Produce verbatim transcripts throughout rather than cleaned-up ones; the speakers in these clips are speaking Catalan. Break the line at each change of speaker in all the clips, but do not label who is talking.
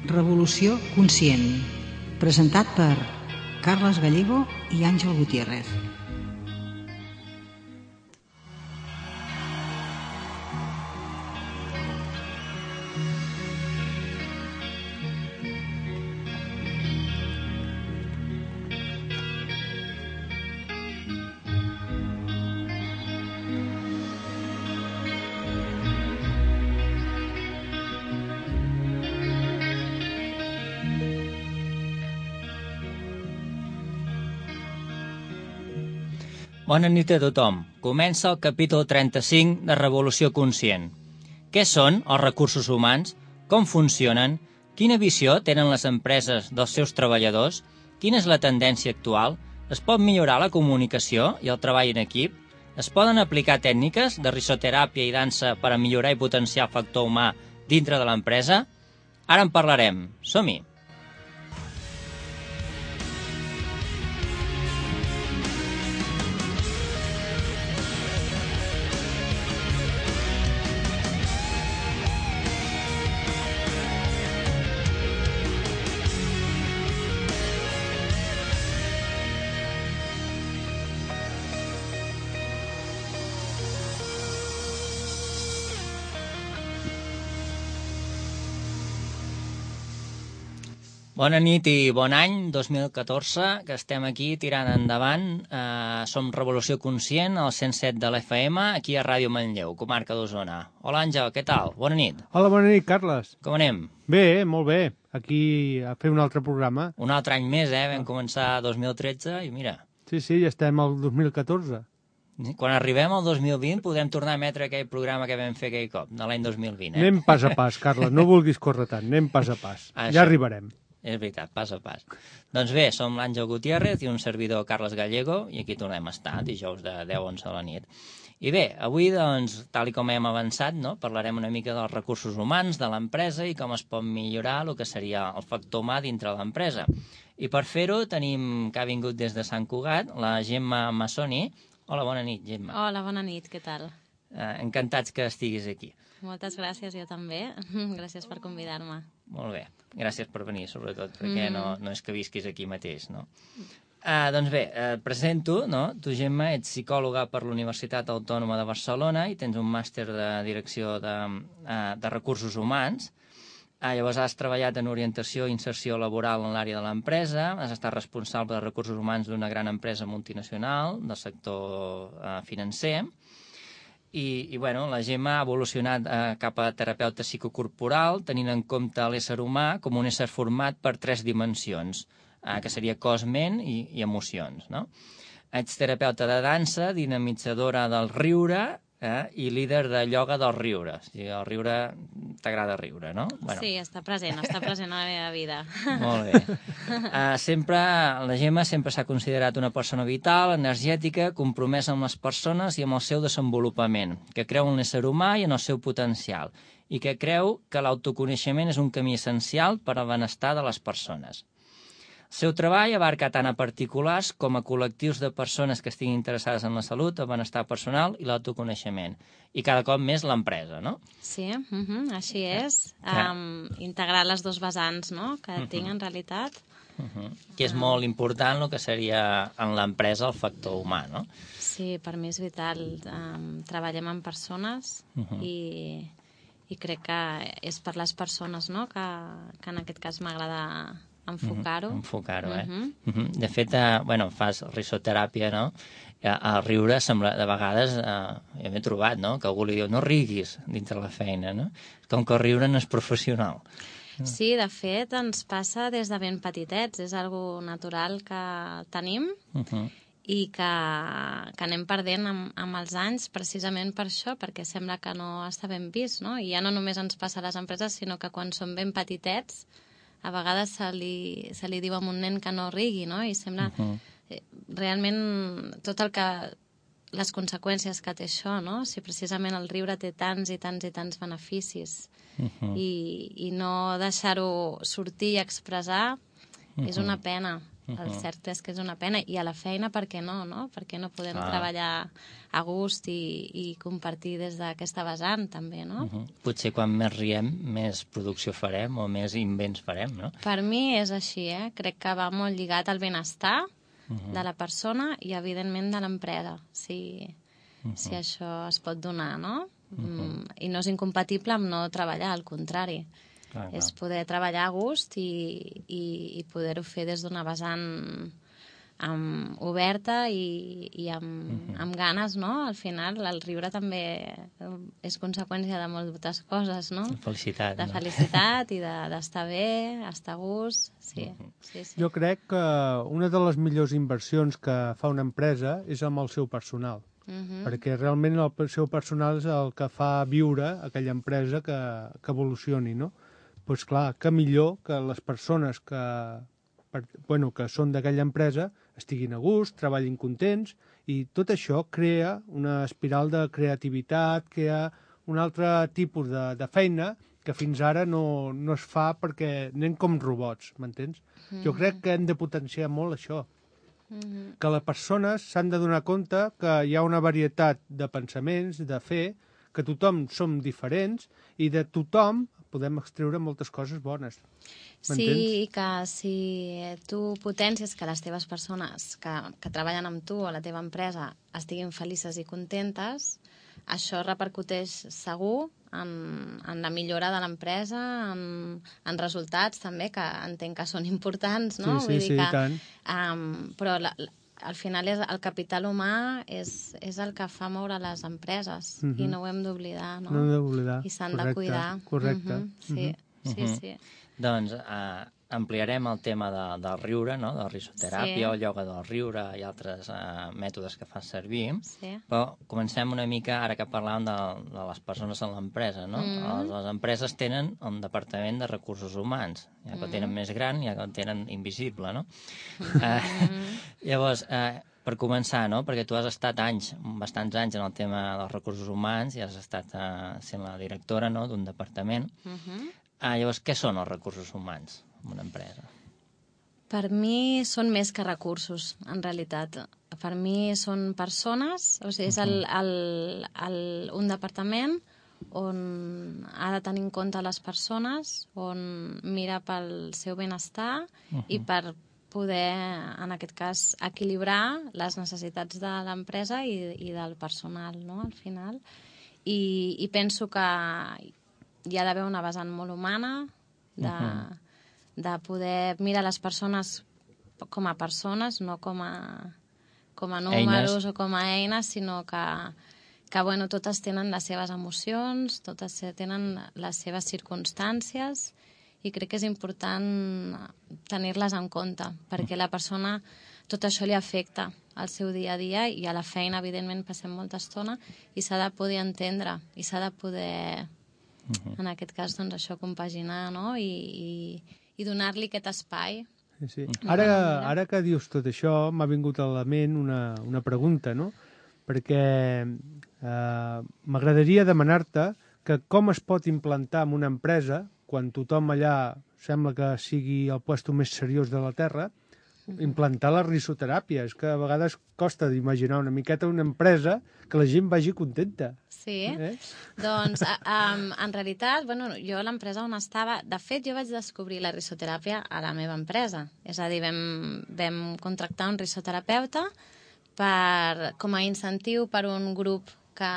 Revolució conscient, presentat per Carles Gallego i Àngel Gutiérrez.
Bona nit a tothom. Comença el capítol trenta-cinc de Revolució Conscient. Què són els recursos humans? Com funcionen? Quina visió tenen les empreses dels seus treballadors? Quina és la tendència actual? Es pot millorar la comunicació i el treball en equip? Es poden aplicar tècniques de risoteràpia i dansa per a millorar i potenciar el factor humà dintre de l'empresa? Ara en parlarem. Som-hi! Bona nit i bon any, dos mil catorze, que estem aquí tirant endavant. Eh, som Revolució Conscient, al cent set de l'F M, aquí a Ràdio Manlleu, comarca d'Osona. Hola, Àngel, què tal? Bona nit.
Hola, bona nit, Carles.
Com anem?
Bé, molt bé. Aquí a fer un altre programa.
Un altre any més, eh? Vam començar dos mil tretze i mira...
Sí, sí, ja estem al dos mil catorze.
Quan arribem al dos mil vint podem tornar a emetre aquell programa que vam fer aquell cop, de l'any dos mil vint, eh?
Anem pas a pas, Carles, no vulguis córrer tant, anem pas a pas.
Això.
Ja arribarem.
És veritat, pas a pas. Doncs bé, som l'Àngel Gutiérrez i un servidor Carles Gallego, i aquí tornem a estar, dijous de deu a onze de la nit. I bé, avui, doncs, tal i com hem avançat, no, parlarem una mica dels recursos humans de l'empresa i com es pot millorar el que seria el factor humà dintre de l'empresa. I per fer-ho tenim, que ha vingut des de Sant Cugat, la Gemma Massoni. Hola, bona nit, Gemma.
Hola, bona nit, què tal?
Eh, encantats que estiguis aquí.
Moltes gràcies, jo també. Gràcies per convidar-me.
Molt bé, gràcies per venir, sobretot, perquè mm. no, no és que visquis aquí mateix, no? Uh, doncs bé, uh, presento, no? Tu, Gemma, ets psicòloga per l'Universitat Autònoma de Barcelona i tens un màster de direcció de, uh, de recursos humans. Uh, llavors has treballat en orientació i inserció laboral en l'àrea de l'empresa, has estat responsable de recursos humans d'una gran empresa multinacional del sector uh, financer. I, i bueno, la Gemma ha evolucionat eh, cap a terapeuta psicocorporal, tenint en compte l'ésser humà com un ésser format per tres dimensions, eh, que seria cos, ment i, i emocions, no? Ets terapeuta de dansa, dinamitzadora del riure eh, i líder de ioga del riure. O sigui, el riure, t'agrada riure, no? Bueno.
Sí, està present, està present a la meva vida.
Molt bé. Uh, sempre, la Gemma sempre s'ha considerat una persona vital, energètica, compromesa amb les persones i amb el seu desenvolupament, que creu en l'ésser humà i en el seu potencial, i que creu que l'autoconeixement és un camí essencial per al benestar de les persones. El seu treball abarca tant a particulars com a col·lectius de persones que estiguin interessades en la salut, el benestar personal i l'autoconeixement. I cada cop més l'empresa, no?
Sí, uh-huh, així és. Um, integrar les dues vessants, no?, que uh-huh. tinc en realitat.
Uh-huh. Que és molt important el que seria en l'empresa el factor humà, no?
Sí, per mi és vital. Um, treballem amb persones uh-huh. i, i crec que és per les persones, no?, que, que en aquest cas m'agrada enfocar-ho.
Uh-huh. Enfocar-ho, eh?
Uh-huh.
Uh-huh. De fet, eh, bueno, fas risoteràpia, no? El riure sembla, de vegades, eh, ja m'he trobat, no?, que algú li diu no riguis dintre la feina, no? Com que el riure no és professional.
Sí, de fet, ens passa des de ben petitets, és algo natural que tenim uh-huh. i que, que anem perdent amb, amb els anys precisament per això, perquè sembla que no està ben vist, no? I ja no només ens passa a les empreses, sinó que quan som ben petitets a vegades se li, se li diu a un nen que no rigui, no? I sembla uh-huh. eh, realment tot el que... les conseqüències que té això, no? Si precisament el riure té tants i tants i tants beneficis uh-huh. i, i no deixar-ho sortir i expressar uh-huh. és una pena. el cert és que és una pena. I a la feina, per què no, no? Per què no podem
Ah.
treballar a gust i, i compartir des d'aquesta vessant, també, no?
Uh -huh. Potser quan més riem, més producció farem o més invents farem, no?
Per mi és així, eh? Crec que va molt lligat al benestar
Uh -huh.
de la persona i, evidentment, de l'empresa, si, uh -huh. si això es pot donar, no? Uh -huh. mm, I no és incompatible amb no treballar, al contrari.
Clar, clar.
És poder treballar a gust i, i, i poder-ho fer des d'una vessant amb, oberta i, i amb, uh-huh. amb ganes, no? Al final, el riure també és conseqüència de moltes coses, no?
Felicitat.
De
no?
felicitat i d'estar de, bé, estar a gust, sí, uh-huh. sí, sí.
Jo crec que una de les millors inversions que fa una empresa és amb el seu personal. Uh-huh. Perquè realment el seu personal és el que fa viure aquella empresa que, que evolucioni, no? Doncs pues clar, que millor que les persones que, per, bueno, que són d'aquella empresa estiguin a gust, treballin contents, i tot això crea una espiral de creativitat, crea un altre tipus de, de feina que fins ara no, no es fa perquè anem com robots, m'entens? Mm-hmm. Jo crec que hem de potenciar molt això. Mm-hmm. Que les persones s'han de donar compte que hi ha una varietat de pensaments, de fer, que tothom som diferents i de tothom podem extreure moltes coses bones.
Sí, i que si tu potencies que les teves persones que, que treballen amb tu o a la teva empresa estiguin felices i contentes, això repercuteix segur en, en la millora de l'empresa, en, en resultats també, que entenc que són importants, no?
Sí, sí,
Vull dir
sí,
que,
i tant.
Um, però la, la, al final és, el capital humà és, és el que fa moure les empreses, uh-huh. i no ho hem d'oblidar, no?
No ho hem d'oblidar.
I s'han de cuidar.
Correcte.
Uh-huh. Sí, uh-huh. sí,
Uh-huh.
sí.
Doncs eh, ampliarem el tema de, del riure, no? De la risoteràpia,
Sí.
el ioga del riure i altres eh, mètodes que fas servir.
Sí.
Però comencem una mica, ara que parlàvem de, de les persones en l'empresa, no?
Mm.
Les, les empreses tenen un departament de recursos humans, ja que mm. el tenen més gran, ja que el tenen invisible, no? Mm. Eh, llavors, eh, per començar, no? Perquè tu has estat anys, bastants anys en el tema dels recursos humans i has estat eh, sent la directora, no?, d'un departament.
Uh-huh.
Ah, llavors, què són els recursos humans en una empresa?
Per mi són més que recursos, en realitat. Per mi són persones, o sigui, és el, el, el, un departament on ha de tenir en compte les persones, on mira pel seu benestar uh-huh. i per poder, en aquest cas, equilibrar les necessitats de l'empresa i, i del personal, no?, al final. I, i penso que hi ha d'haver una vessant molt humana, de, uh-huh. de poder mirar les persones com a persones, no com a, com a números eines. O com a eines, sinó que, que bueno, totes tenen les seves emocions, totes tenen les seves circumstàncies, i crec que és important tenir-les en compte, perquè la persona tot això li afecta al seu dia a dia, i a la feina, evidentment, passem molta estona, i s'ha de poder entendre, i s'ha de poder... Uh-huh. En aquest cas, doncs, això, compaginar, no? I, i, i donar-li aquest espai.
Sí, sí. Ara, ara que dius tot això, m'ha vingut a la ment una, una pregunta, no? Perquè eh, m'agradaria demanar-te que com es pot implantar en una empresa, quan tothom allà sembla que sigui el puesto més seriós de la Terra, implantar la risoteràpia. És que a vegades costa d'imaginar una miqueta una empresa que la gent vagi contenta.
Sí,
eh?
Doncs um, en realitat, bueno, jo a l'empresa on estava, de fet jo vaig descobrir la risoteràpia a la meva empresa, és a dir, vam, vam contractar un risoterapeuta per, com a incentiu per un grup, que,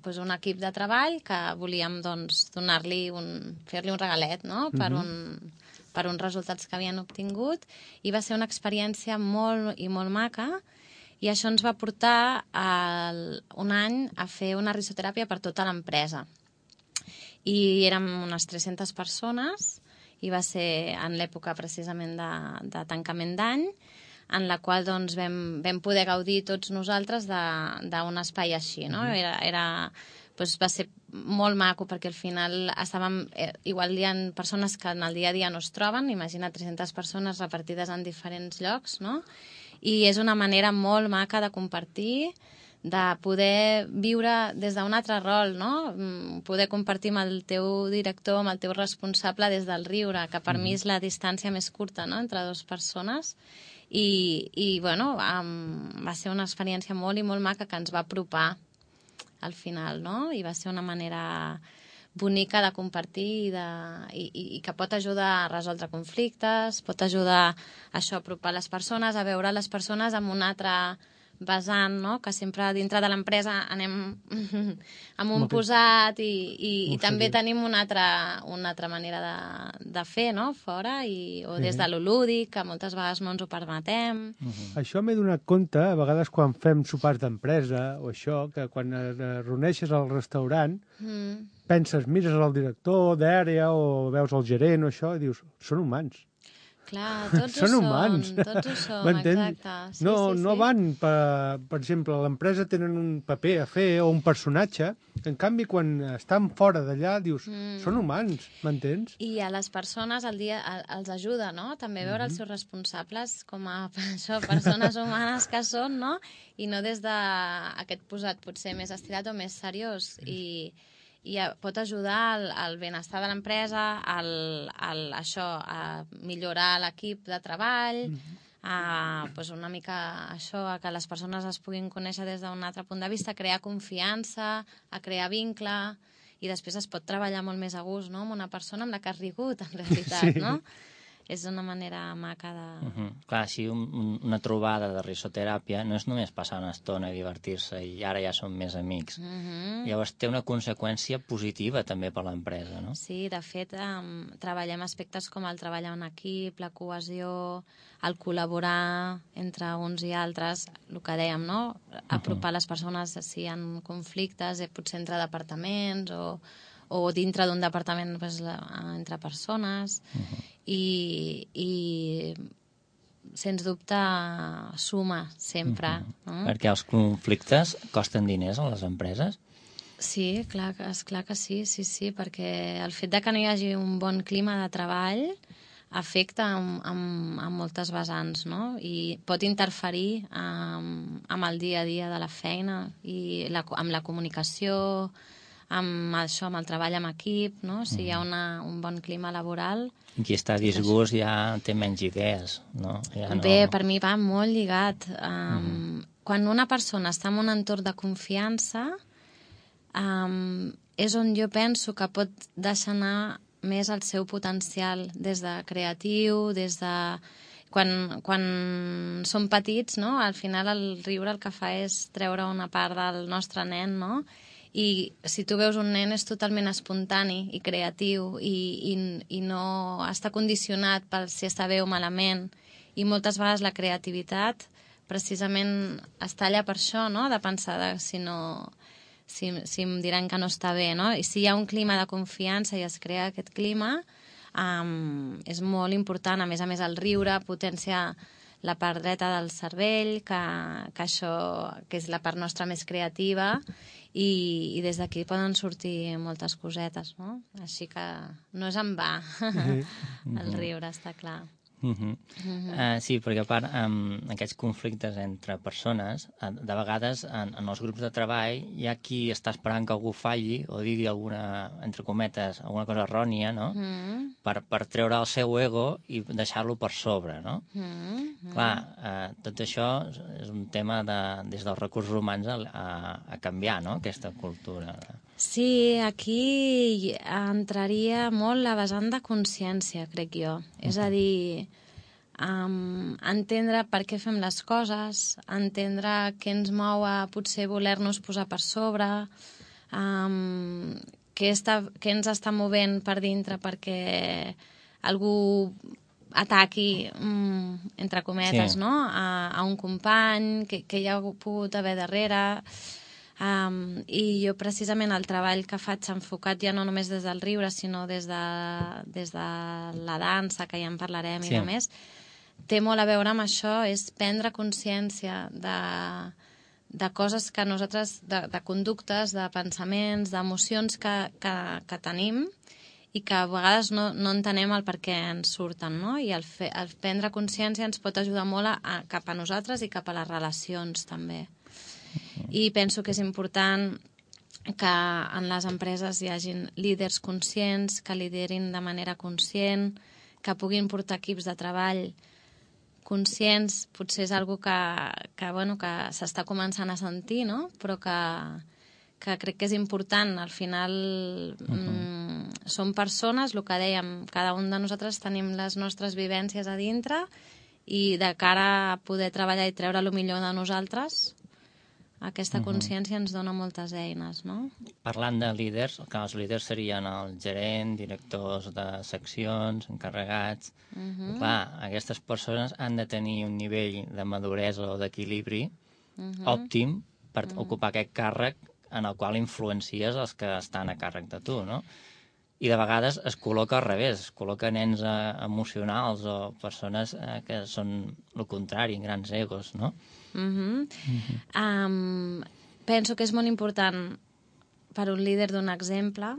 doncs un equip de treball que volíem doncs, donar-li un, fer-li un regalet, no?, per
Mhm.
un per uns resultats que havien obtingut, i va ser una experiència molt i molt maca, i això ens va portar el, un any a fer una risoteràpia per tota l'empresa. I érem unes tres-centes persones, i va ser en l'època precisament de, de tancament d'any, en la qual doncs, vam, vam poder gaudir tots nosaltres d'un espai així, no? Era... era doncs va ser molt maco, perquè al final estàvem, eh, igual hi ha persones que en el dia a dia no es troben, imagina tres-centes persones repartides en diferents llocs, no? I és una manera molt maca de compartir, de poder viure des d'un altre rol, no? Poder compartir amb el teu director, amb el teu responsable des del riure, que per mm. mi és la distància més curta, no?, entre dues persones. I, i bueno, um, va ser una experiència molt i molt maca que ens va apropar al final, no? I va ser una manera bonica de compartir i, de, i, i que pot ajudar a resoldre conflictes, pot ajudar a això, a apropar les persones, a veure les persones amb un altre vessant, no? Que sempre dintre de l'empresa anem amb un posat i, i, i també tenim una altra, una altra manera de, de fer, no?, fora, i, o des de lo lúdic, que moltes vegades no ens ho permetem.
Uh-huh. Això m'he donat compte, a vegades quan fem sopars d'empresa o això, que quan et reuneixes al restaurant, mm. penses, mires al director d'àrea o veus el gerent o això, i dius, són humans.
Clar, tots
són
ho
humans.
som, tots ho som, exacte. Sí,
no,
sí,
no
sí.
van, per, per exemple, a l'empresa tenen un paper a fer o un personatge, en canvi, quan estan fora d'allà, dius, mm. són humans, m'entens?
I a les persones el dia els ajuda, no?, també veure mm-hmm. els seus responsables com a això, persones humanes que són, no?, i no des d'aquest posat potser més estirat o més seriós, i... i pot ajudar al, al benestar de l'empresa, al, al, això, a millorar l'equip de treball, mm-hmm. a pues, una mica això, a que les persones es puguin conèixer des d'un altre punt de vista, a crear confiança, a crear vincle, i després es pot treballar molt més a gust, no?, amb una persona amb la que has rigut, en realitat, sí. no? És una manera maca de...
Uh-huh. Clar, així un, un, una trobada de risoteràpia no és només passar una estona i divertir-se i ara ja som més amics. Uh-huh. Llavors té una conseqüència positiva també per l'empresa, no?
Sí, de fet, um, treballem aspectes com el treball en equip, la cohesió, el col·laborar entre uns i altres, el que dèiem, no? Apropar uh-huh. les persones si hi ha conflictes, eh, potser entre departaments o... o dintre d'un departament pues, entre persones, uh-huh. i, i sens dubte suma sempre. Uh-huh. no?
Perquè els conflictes costen diners a les empreses?
Sí, clar, és clar que sí, sí, sí, perquè el fet de que no hi hagi un bon clima de treball afecta amb, amb, amb moltes vessants, no? I pot interferir amb, amb el dia a dia de la feina i la, amb la comunicació, amb això, amb el treball en equip, no? Si hi ha una, un bon clima laboral...
Qui està a disgust ja té menys idees, no? Ja no...
Bé, per mi va molt lligat. Um, mm. Quan una persona està en un entorn de confiança, um, és on jo penso que pot deixar anar més el seu potencial, des de creatiu, des de... Quan, quan som petits, no? Al final el riure el que fa és treure una part del nostre nen, no? I si tu veus un nen és totalment espontani i creatiu i, i, i no està condicionat per si està bé o malament, i moltes vegades la creativitat precisament es talla per això, no? De pensar de, si, no, si, si em diran que no està bé, no? I si hi ha un clima de confiança i es crea aquest clima, um, és molt important. A més a més, el riure potencia la part dreta del cervell, que, que això que és la part nostra més creativa, i, i des d'aquí poden sortir moltes cosetes, no? Així que no és en va el riure, està clar.
Uh-huh. Uh-huh. Uh, sí, perquè a part um, aquests conflictes entre persones, uh, de vegades en, en els grups de treball hi ha qui està esperant que algú falli o digui alguna, entre cometes, alguna cosa errònia, no? Uh-huh. per, per treure el seu ego i deixar-lo per sobre, no? Uh-huh. Clar, uh, tot això és un tema de, des dels recursos humans a, a, a canviar, no?, aquesta cultura.
Sí, aquí entraria molt la vessant de consciència, crec jo. Uh-huh. És a dir, um, entendre per què fem les coses, entendre què ens mou a potser voler-nos posar per sobre, um, què, està, què ens està movent per dintre perquè algú ataqui, um, entre cometes, sí. no? a, a un company, que, que hi ha pogut haver darrere... Um, i jo precisament el treball que faig enfocat ja no només des del riure sinó des de, des de la dansa, que ja en parlarem, sí. i a més té molt a veure amb això, és prendre consciència de, de coses que nosaltres, de, de conductes, de pensaments, d'emocions que, que, que tenim i que a vegades no, no entenem el per què ens surten, no? I el, fe, el prendre consciència ens pot ajudar molt a, a, cap a nosaltres i cap a les relacions també. I penso que és important que en les empreses hi hagin líders conscients, que liderin de manera conscient, que puguin portar equips de treball conscients. Potser és algo que, que, bueno, que s'està començant a sentir, no? Però que, que crec que és important. Al final uh-huh. mm, som persones, el que dèiem, cada un de nosaltres tenim les nostres vivències a dintre i de cara a poder treballar i treure el millor de nosaltres, aquesta consciència ens dona moltes eines, no?
Parlant de líders, que els líders serien el gerent, directors de seccions, encarregats... Uh-huh. Clar, aquestes persones han de tenir un nivell de maduresa o d'equilibri uh-huh. òptim per uh-huh. ocupar aquest càrrec en el qual influencies els que estan a càrrec de tu, no? I de vegades es col·loca al revés, es col·loca nens eh, emocionals o persones eh, que són el contrari, grans egos, no?
Uh-huh. Uh-huh. Um, penso que és molt important per un líder donar exemple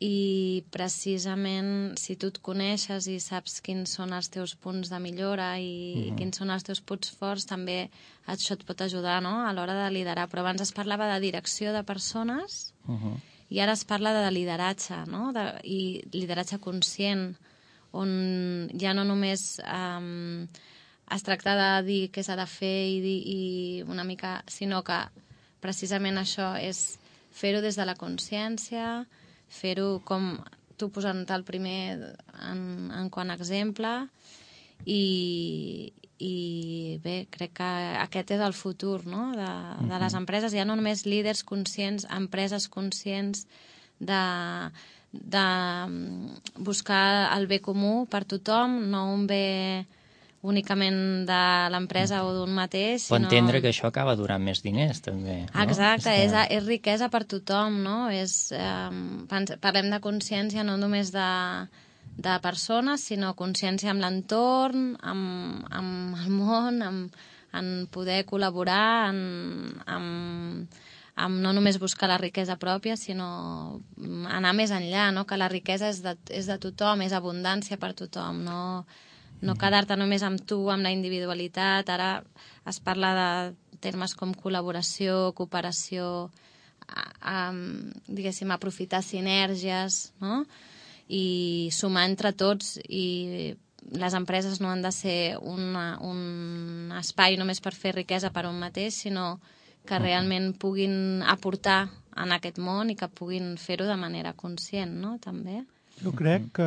i precisament si tu et coneixes i saps quins són els teus punts de millora i uh-huh. quins són els teus punts forts, també això et pot ajudar, no? A l'hora de liderar. Però abans es parlava de direcció de persones uh-huh. i ara es parla de lideratge, no? De, i lideratge conscient, on ja no només... Um, es tracta de dir què s'ha de fer i, dir, i una mica... sinó que precisament això és fer-ho des de la consciència, fer-ho com tu posant-te el primer en, en quant a exemple i, i bé, crec que aquest és el futur, no? de, de les empreses. Ja no només líders conscients, empreses conscients de, de buscar el bé comú per tothom, no un bé únicament de l'empresa o d'un mateix, sinó...
Pot entendre que això acaba durant més diners, també. No?
Exacte, és, que... és, és riquesa per tothom, no? És, eh, parlem de consciència no només de, de persones, sinó consciència amb l'entorn, amb, amb el món, amb, en poder col·laborar, en, amb, amb no només buscar la riquesa pròpia, sinó anar més enllà, no? Que la riquesa és de, és de tothom, és abundància per tothom, no... No quedar-te només amb tu, amb la individualitat. Ara es parla de termes com col·laboració, cooperació, a, a, diguéssim, aprofitar sinergies, no? I sumar entre tots. I les empreses no han de ser una, un espai només per fer riquesa per un mateix, sinó que realment puguin aportar en aquest món i que puguin fer-ho de manera conscient, no? També.
Jo crec que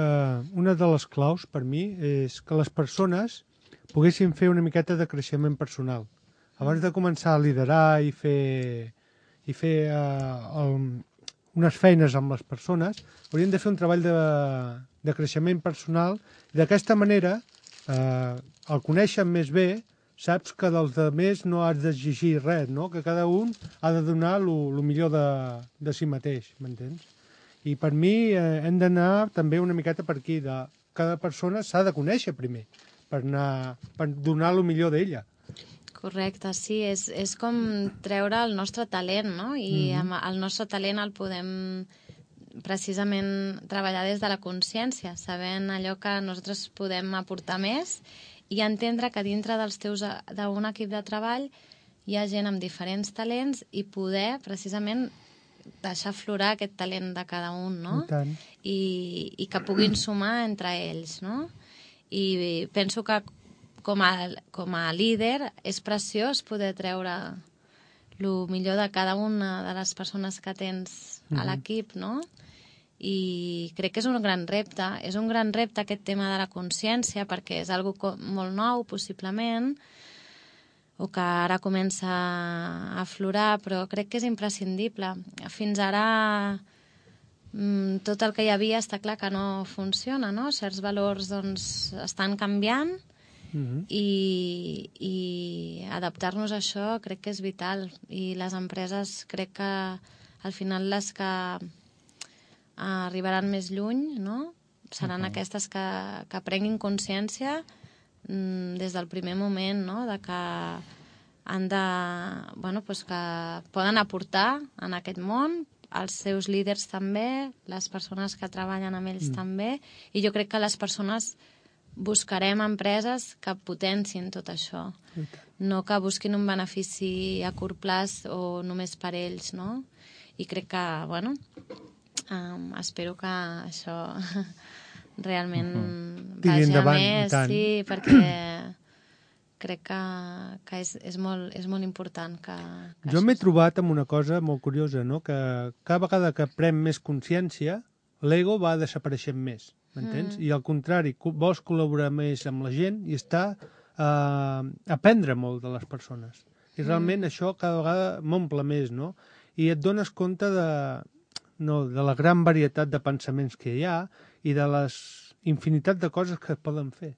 una de les claus per mi és que les persones poguessin fer una miqueta de creixement personal. Abans de començar a liderar i fer, i fer uh, el, unes feines amb les persones, haurien de fer un treball de, de creixement personal i d'aquesta manera, uh, al conèixer més bé, saps que dels altres no has d'exigir res, no? Que cada un ha de donar el millor de, de si mateix, m'entens? I per mi eh, hem d'anar també una miqueta per aquí. De, cada persona s'ha de conèixer primer per, anar, per donar el millor d'ella.
Correcte, sí. És, és com treure el nostre talent, no? I mm-hmm. amb el nostre talent el podem precisament treballar des de la consciència, sabent allò que nosaltres podem aportar més i entendre que dintre dels teus d'un equip de treball hi ha gent amb diferents talents i poder precisament deixar aflorar aquest talent de cada un, no?
I,
I, i que puguin sumar entre ells, no? I penso que com a, com a líder és preciós poder treure el millor de cada una de les persones que tens a l'equip, no? I crec que és un gran repte. És un gran repte aquest tema de la consciència perquè és algo molt nou, possiblement, o que ara comença a aflorar, però crec que és imprescindible. Fins ara tot el que hi havia està clar que no funciona, no? Certs valors doncs, estan canviant mm-hmm. i, i adaptar-nos a això crec que és vital. I les empreses crec que al final les que arribaran més lluny, no? Seran uh-huh. aquestes que, que prenguin consciència des del primer moment, no? De que han de, bueno, pues que poden aportar en aquest món, els seus líders també, les persones que treballen amb ells mm. també, i jo crec que les persones buscarem empreses que potencin tot això. No que busquin un benefici a curt plaç o només per ells, no? I crec que, bueno, um, espero que això realment uh-huh. vagi endavant, a més, sí, perquè crec que, que és, és, molt, és molt important que... que
jo m'he trobat amb una cosa molt curiosa, no? Que cada vegada que pren més consciència, l'ego va desapareixent més, m'entens? Mm. I al contrari, vols col·laborar més amb la gent i està a uh, aprendre molt de les persones. I realment mm. això cada vegada m'omple més, no? I et dones compte de, no, de la gran varietat de pensaments que hi ha i de les infinitat de coses que es poden fer.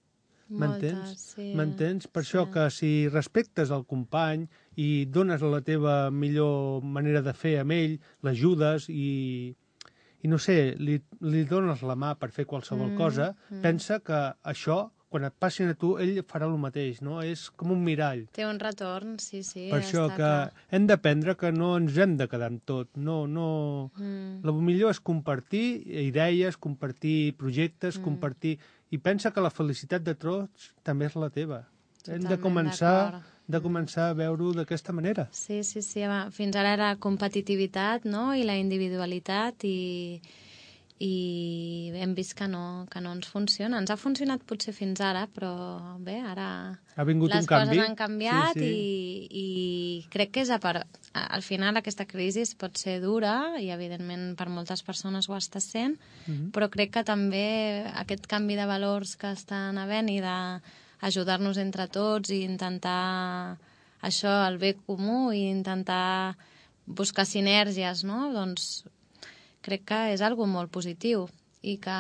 M'entens?
Sí.
M'entens? Per
sí.
això que si respectes el company i dones la teva millor manera de fer amb ell, l'ajudes i, i no sé, li, li dones la mà per fer qualsevol mm, cosa, mm. pensa que això, quan et passin a tu, ell farà el mateix, no? És com un mirall.
Té un retorn, sí, sí.
Per això
està
que
clar.
Hem d'aprendre que no ens hem de quedar amb tot. No, no... Mm. El millor és compartir idees, compartir projectes, mm. compartir... I pensa que la felicitat de tots també és la teva. Totalment hem de començar, de començar a veure-ho d'aquesta manera.
Sí, sí, sí. Fins ara era competitivitat, no?, i la individualitat, i, i hem vist que no, que no ens funciona. Ens ha funcionat potser fins ara, però bé, ara
ha vingut
les
un canvi.
Coses han canviat,
sí, sí.
I, i crec que és a per... al final aquesta crisi pot ser dura i evidentment per moltes persones ho està sent, mm-hmm. però crec que també aquest canvi de valors que estan havent i d'ajudar-nos entre tots i intentar això, el bé comú, i intentar buscar sinergies, no? Doncs crec que és algo molt positiu i que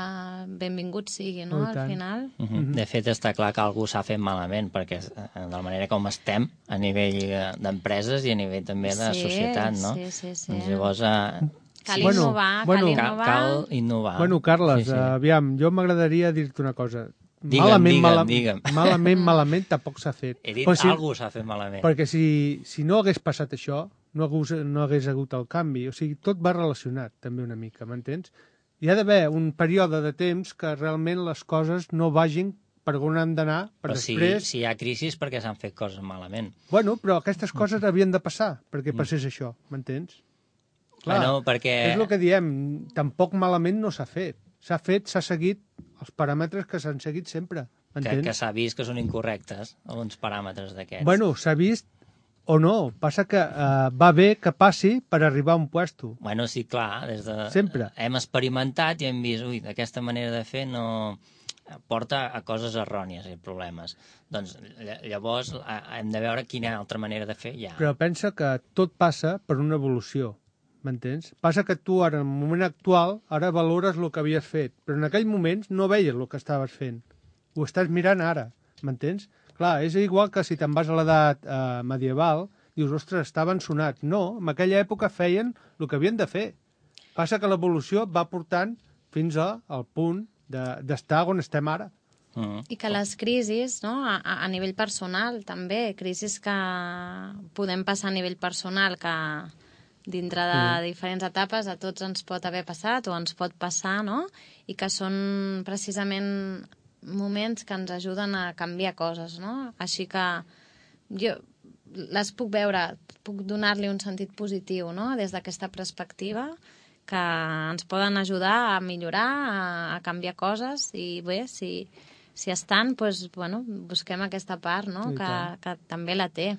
benvingut sigui, no?, al final.
Uh -huh. De fet, està clar que algú s'ha fet malament, perquè de la manera com estem a nivell d'empreses i a nivell també de
sí,
societat, no?
Sí, sí, sí.
Doncs llavors... Eh...
Cal
sí.
innovar,
bueno,
cal innovar.
Cal innovar.
Bueno, Carles,
sí, sí.
aviam, jo m'agradaria dir-te una cosa.
Digue'm,
malament,
digue'm,
mala...
digue'm.
Malament, malament, tampoc s'ha fet.
He dit
si...
algú s'ha fet malament.
Perquè si, si no hagués passat això, no hagués, no hagués hagut el canvi. O sigui, tot va relacionat, també una mica, m'entens? Hi ha d'haver un període de temps que realment les coses no vagin per on han d'anar, per
però
després...
Si, si hi ha crisi és perquè s'han fet coses malament.
Bueno, però aquestes coses havien de passar perquè passés això, m'entens? Clar,
bueno, perquè...
és el que diem, tampoc malament no s'ha fet. S'ha fet, s'ha seguit els paràmetres que s'han seguit sempre, m'entens?
Que, que s'ha vist que són incorrectes, alguns paràmetres d'aquests.
Bueno, s'ha vist o no, passa que uh, va bé que passi per arribar a un puesto.
Bueno, sí, clar, des de...
Sempre.
Hem experimentat i hem vist, ui, aquesta manera de fer no porta a coses errònies i problemes. Doncs llavors hem de veure quina altra manera de fer hi ha.
Però pensa que tot passa per una evolució, m'entens? Passa que tu ara, en el moment actual, ara valores el que havies fet, però en aquell moment no veies el que estaves fent. Ho estàs mirant ara, m'entens? Clar, és igual que si te'n vas a l'edat eh, medieval, dius, ostres, estaven sonats. No, en aquella època feien el que havien de fer. Passa que l'evolució va portant fins a, al punt d'estar de, on estem ara.
Mm.
I que les crisis, no?, a, a nivell personal també, crisis que podem passar a nivell personal, que dintre de mm. diferents etapes a tots ens pot haver passat o ens pot passar, no?, i que són precisament moments que ens ajuden a canviar coses, no? Així que jo les puc veure, puc donar-li un sentit positiu, no?, des d'aquesta perspectiva, que ens poden ajudar a millorar, a, a canviar coses, i bé, si, si estan, doncs, bueno, busquem aquesta part, no?, que, que també la té.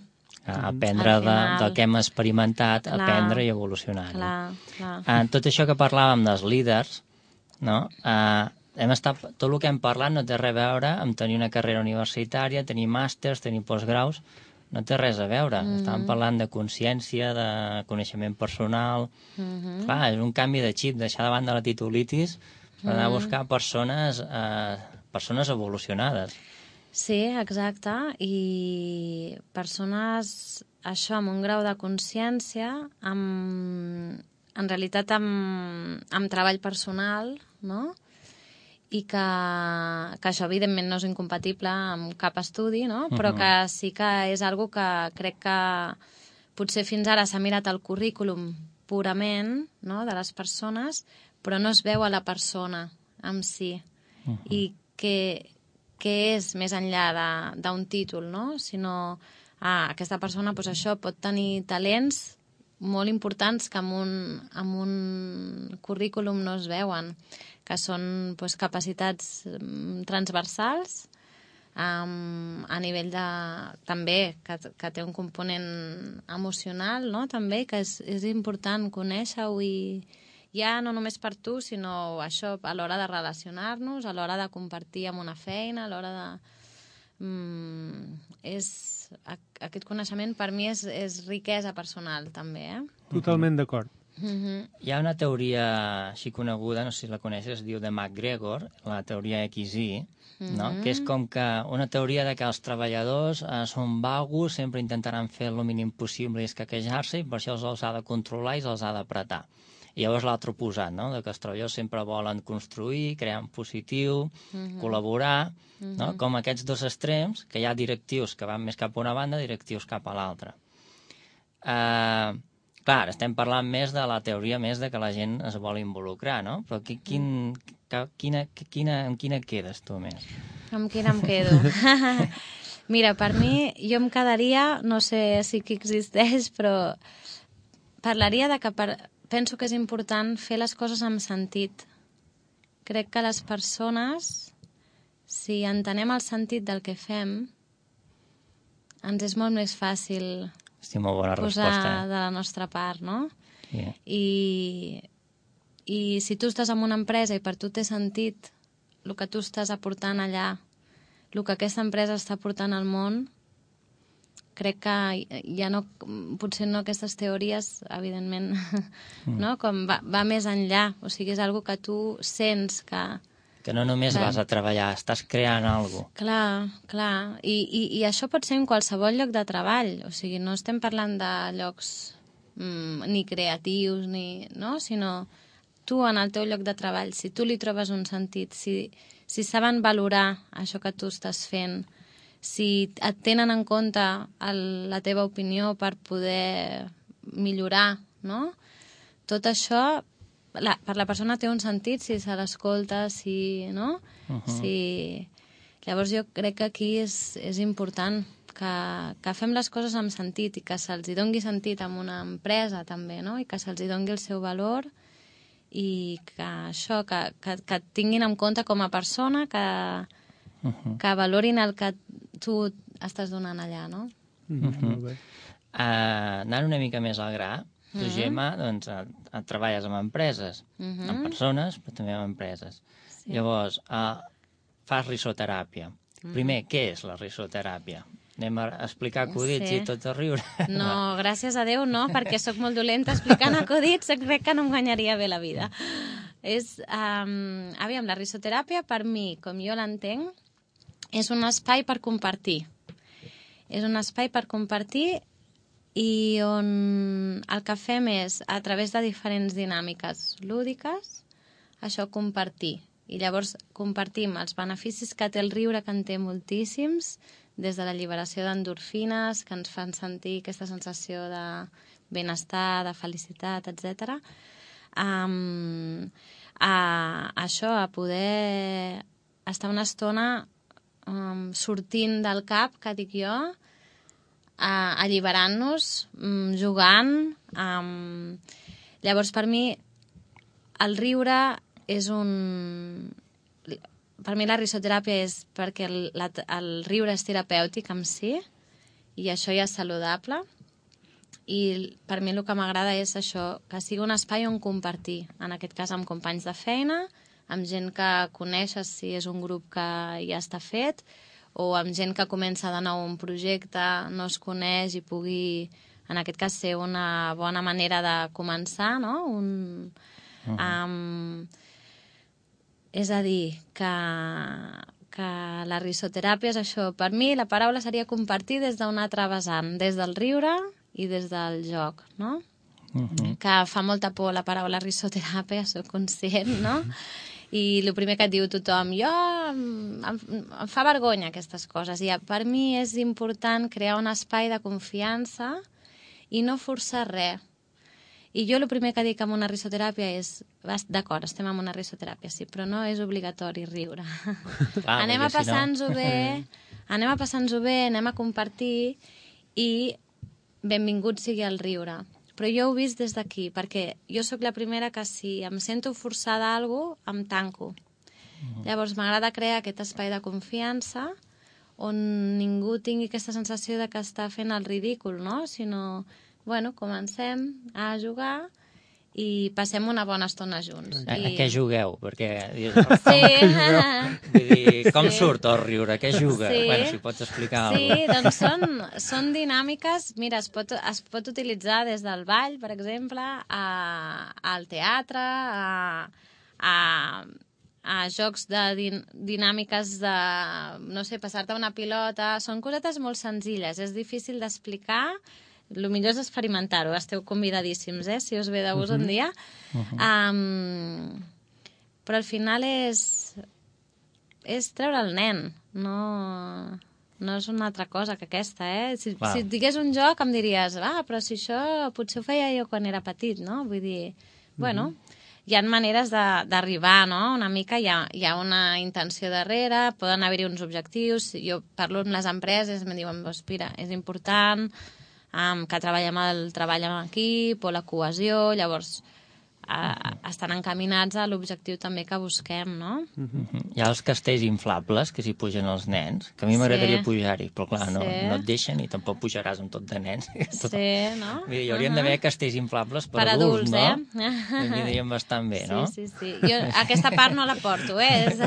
A aprendre final, de, del que hem experimentat, clar, aprendre i evolucionar.
Clar, clar.
Uh, tot això que parlàvem dels líders, no?, uh, hem estat, tot el que hem parlat no té res a veure amb tenir una carrera universitària, tenir màsters, tenir postgraus, no té res a veure. Mm-hmm. Estàvem parlant de consciència, de coneixement personal... Mm-hmm. Clar, és un canvi de xip, deixar de banda la titulitis per anar a buscar persones, eh, persones evolucionades.
Sí, exacte, i persones, això, amb un grau de consciència, amb, en realitat amb, amb treball personal, no?, i que, que això evidentment no és incompatible amb cap estudi, no? Però que sí que és algo que crec que potser fins ara s'ha mirat el currículum purament, no?, de les persones, però no es veu a la persona en si. Uh-huh. I que què és més enllà d'un títol, no? Sinó, ah, aquesta persona, doncs això, pot tenir talents molt importants que en un, en un currículum no es veuen, que són doncs, capacitats transversals, um, a nivell de... també, que, que té un component emocional, no?, també, que és, és important conèixer-ho i ja no només per tu, sinó això, a l'hora de relacionar-nos, a l'hora de compartir amb una feina, a l'hora de... Mm, és... Aquest coneixement per mi és, és riquesa personal, també, eh?
Totalment d'acord.
Mm-hmm. Hi ha una teoria així coneguda, no sé si la coneixes, es diu de McGregor, la teoria X I, mm-hmm. no? Que és com que una teoria de que els treballadors eh, són vagos, sempre intentaran fer el mínim possible i escaquejar-se, i per això els ha de controlar i els ha d'apretar. I llavors l'altre oposat, no? De que els treballadors sempre volen construir, crear en positiu, mm-hmm. col·laborar, mm-hmm. no? Com aquests dos extrems, que hi ha directius que van més cap a una banda, directius cap a l'altra. Uh, clar, estem parlant més de la teoria més de que la gent es vol involucrar, no? Però qui, quin, que, quina, quina, amb quina quedes tu més?
Amb quina em quedo? Mira, per mi, jo em quedaria, no sé si que existeix, però parlaria de que per... penso que és important fer les coses amb sentit. Crec que les persones, si entenem el sentit del que fem, ens és molt més fàcil
molt bona
posar
resposta, eh?
de la nostra part, no?
Yeah.
I, I si tu estàs en una empresa i per tu té sentit el que tu estàs aportant allà, el que aquesta empresa està aportant al món, crec que ja no, potser no aquestes teories, evidentment, mm. no? Com va, va més enllà, o sigui, és algo que tu sents que...
Que no només que... vas a treballar, estàs creant alguna cosa.
Clar, clar, I, i, i això pot ser en qualsevol lloc de treball, o sigui, no estem parlant de llocs mm, ni creatius, ni, no? Sinó tu en el teu lloc de treball, si tu li trobes un sentit, si, si saben valorar això que tu estàs fent, si et tenen en compte el, la teva opinió per poder millorar, no? Tot això, la, per la persona té un sentit si se l'escolta, si... no? Uh -huh. Si... Llavors jo crec que aquí és, és important que, que fem les coses amb sentit i que se'ls dongui sentit en una empresa també, no? I que se'ls dongui el seu valor i que això, que, que, que tinguin en compte com a persona, que, uh -huh. que valorin el que tu estàs donant allà, no?
Mm-hmm.
Uh-huh. Uh, anant una mica més al gra, tu, uh-huh. Gemma, doncs, uh, treballes amb empreses, uh-huh. amb persones, però també amb empreses. Sí. Llavors, uh, fas risoteràpia. Uh-huh. Primer, què és la risoteràpia? Anem a explicar acudits sí. i tot a riure?
No, gràcies a Déu no, perquè sóc molt dolenta explicant acudits, crec que no em guanyaria bé la vida. És, um, aviam, la risoteràpia, per mi, com jo l'entenc, és un espai per compartir. És un espai per compartir i on el que fem és, a través de diferents dinàmiques lúdiques, això compartir. I llavors compartim els beneficis que té el riure, que en té moltíssims, des de l'alliberació d'endorfines, que ens fan sentir aquesta sensació de benestar, de felicitat, etcètera. Um, a, a això, a poder estar una estona Um, sortint del cap, que dic jo, uh, alliberant-nos, um, jugant. Um... Llavors, per mi, el riure és un... Per mi la risoteràpia és perquè el, la, el riure és terapèutic en si, i això ja és saludable. I per mi el que m'agrada és això, que sigui un espai on compartir, en aquest cas amb companys de feina, amb gent que coneixes si és un grup que ja està fet, o amb gent que comença de nou un projecte, no es coneix i pugui, en aquest cas, ser una bona manera de començar, no? Un, uh-huh. um, és a dir, que, que la risoteràpia és això. Per mi la paraula seria compartir des d'un altre vessant, des del riure i des del joc, no? Uh-huh. Que fa molta por la paraula risoteràpia, soc conscient, no? I el primer que et diu tothom, jo em, em, em fa vergonya aquestes coses. I per mi és important crear un espai de confiança i no forçar res. I jo el primer que dic amb una risoteràpia és, d'acord, estem amb una risoteràpia, sí, però no és obligatori riure.
Clar,
anem a
perquè si no-
passar-nos-ho bé, anem a passar-nos-ho bé, anem a compartir i benvingut sigui el riure. Però jo ho he vist des d'aquí, perquè jo sóc la primera que si em sento forçada a alguna cosa, em tanco. Mm. Llavors m'agrada crear aquest espai de confiança on ningú tingui aquesta sensació de que està fent el ridícul, no? Sinó, bueno, comencem a jugar i passem una bona estona junts.
A,
I...
a què jugueu? Perquè...
Sí.
Vull dir, com
Sí.
surt el riure? Què juga?
Sí.
Bueno, si pots explicar
Sí,
alguna cosa.
doncs són, són dinàmiques, mira, es pot, es pot utilitzar des del ball, per exemple, a, al teatre, a, a, a jocs de din, dinàmiques de, no sé, passar-te una pilota, són cosetes molt senzilles, és difícil d'explicar, el millor és experimentar-ho, esteu convidadíssims, eh, si us ve de gust uh -huh. un dia. Uh -huh. um, però al final és, és treure el nen, no, no és una altra cosa que aquesta, eh? Si,
Wow.
si et digués un joc em diries, ah, però si això potser ho feia jo quan era petit, no? Vull dir, bueno, hi ha maneres de- d'arribar, no? Una mica hi ha, hi ha una intenció darrere, poden haver-hi uns objectius. Jo parlo amb les empreses, em diuen, doncs, mira, és important um, que treballem el treball en equip o la cohesió, llavors uh, estan encaminats a l'objectiu també que busquem, no?
Mhm. Hi ha els castells inflables que s'hi pugen els nens, que a mi m'agradaria
Sí.
pujar-hi, però clar, no,
Sí.
no et deixen i tampoc pujaràs amb tot de nens. Tot...
Sí, no?
Vull dir, hi haurien
Uh-huh.
d'haver castells inflables per,
Per
adults,
adults,
no?
eh?
Em vindrien bastant bé, no?
Sí, sí, sí. Jo aquesta part no la porto, eh? És...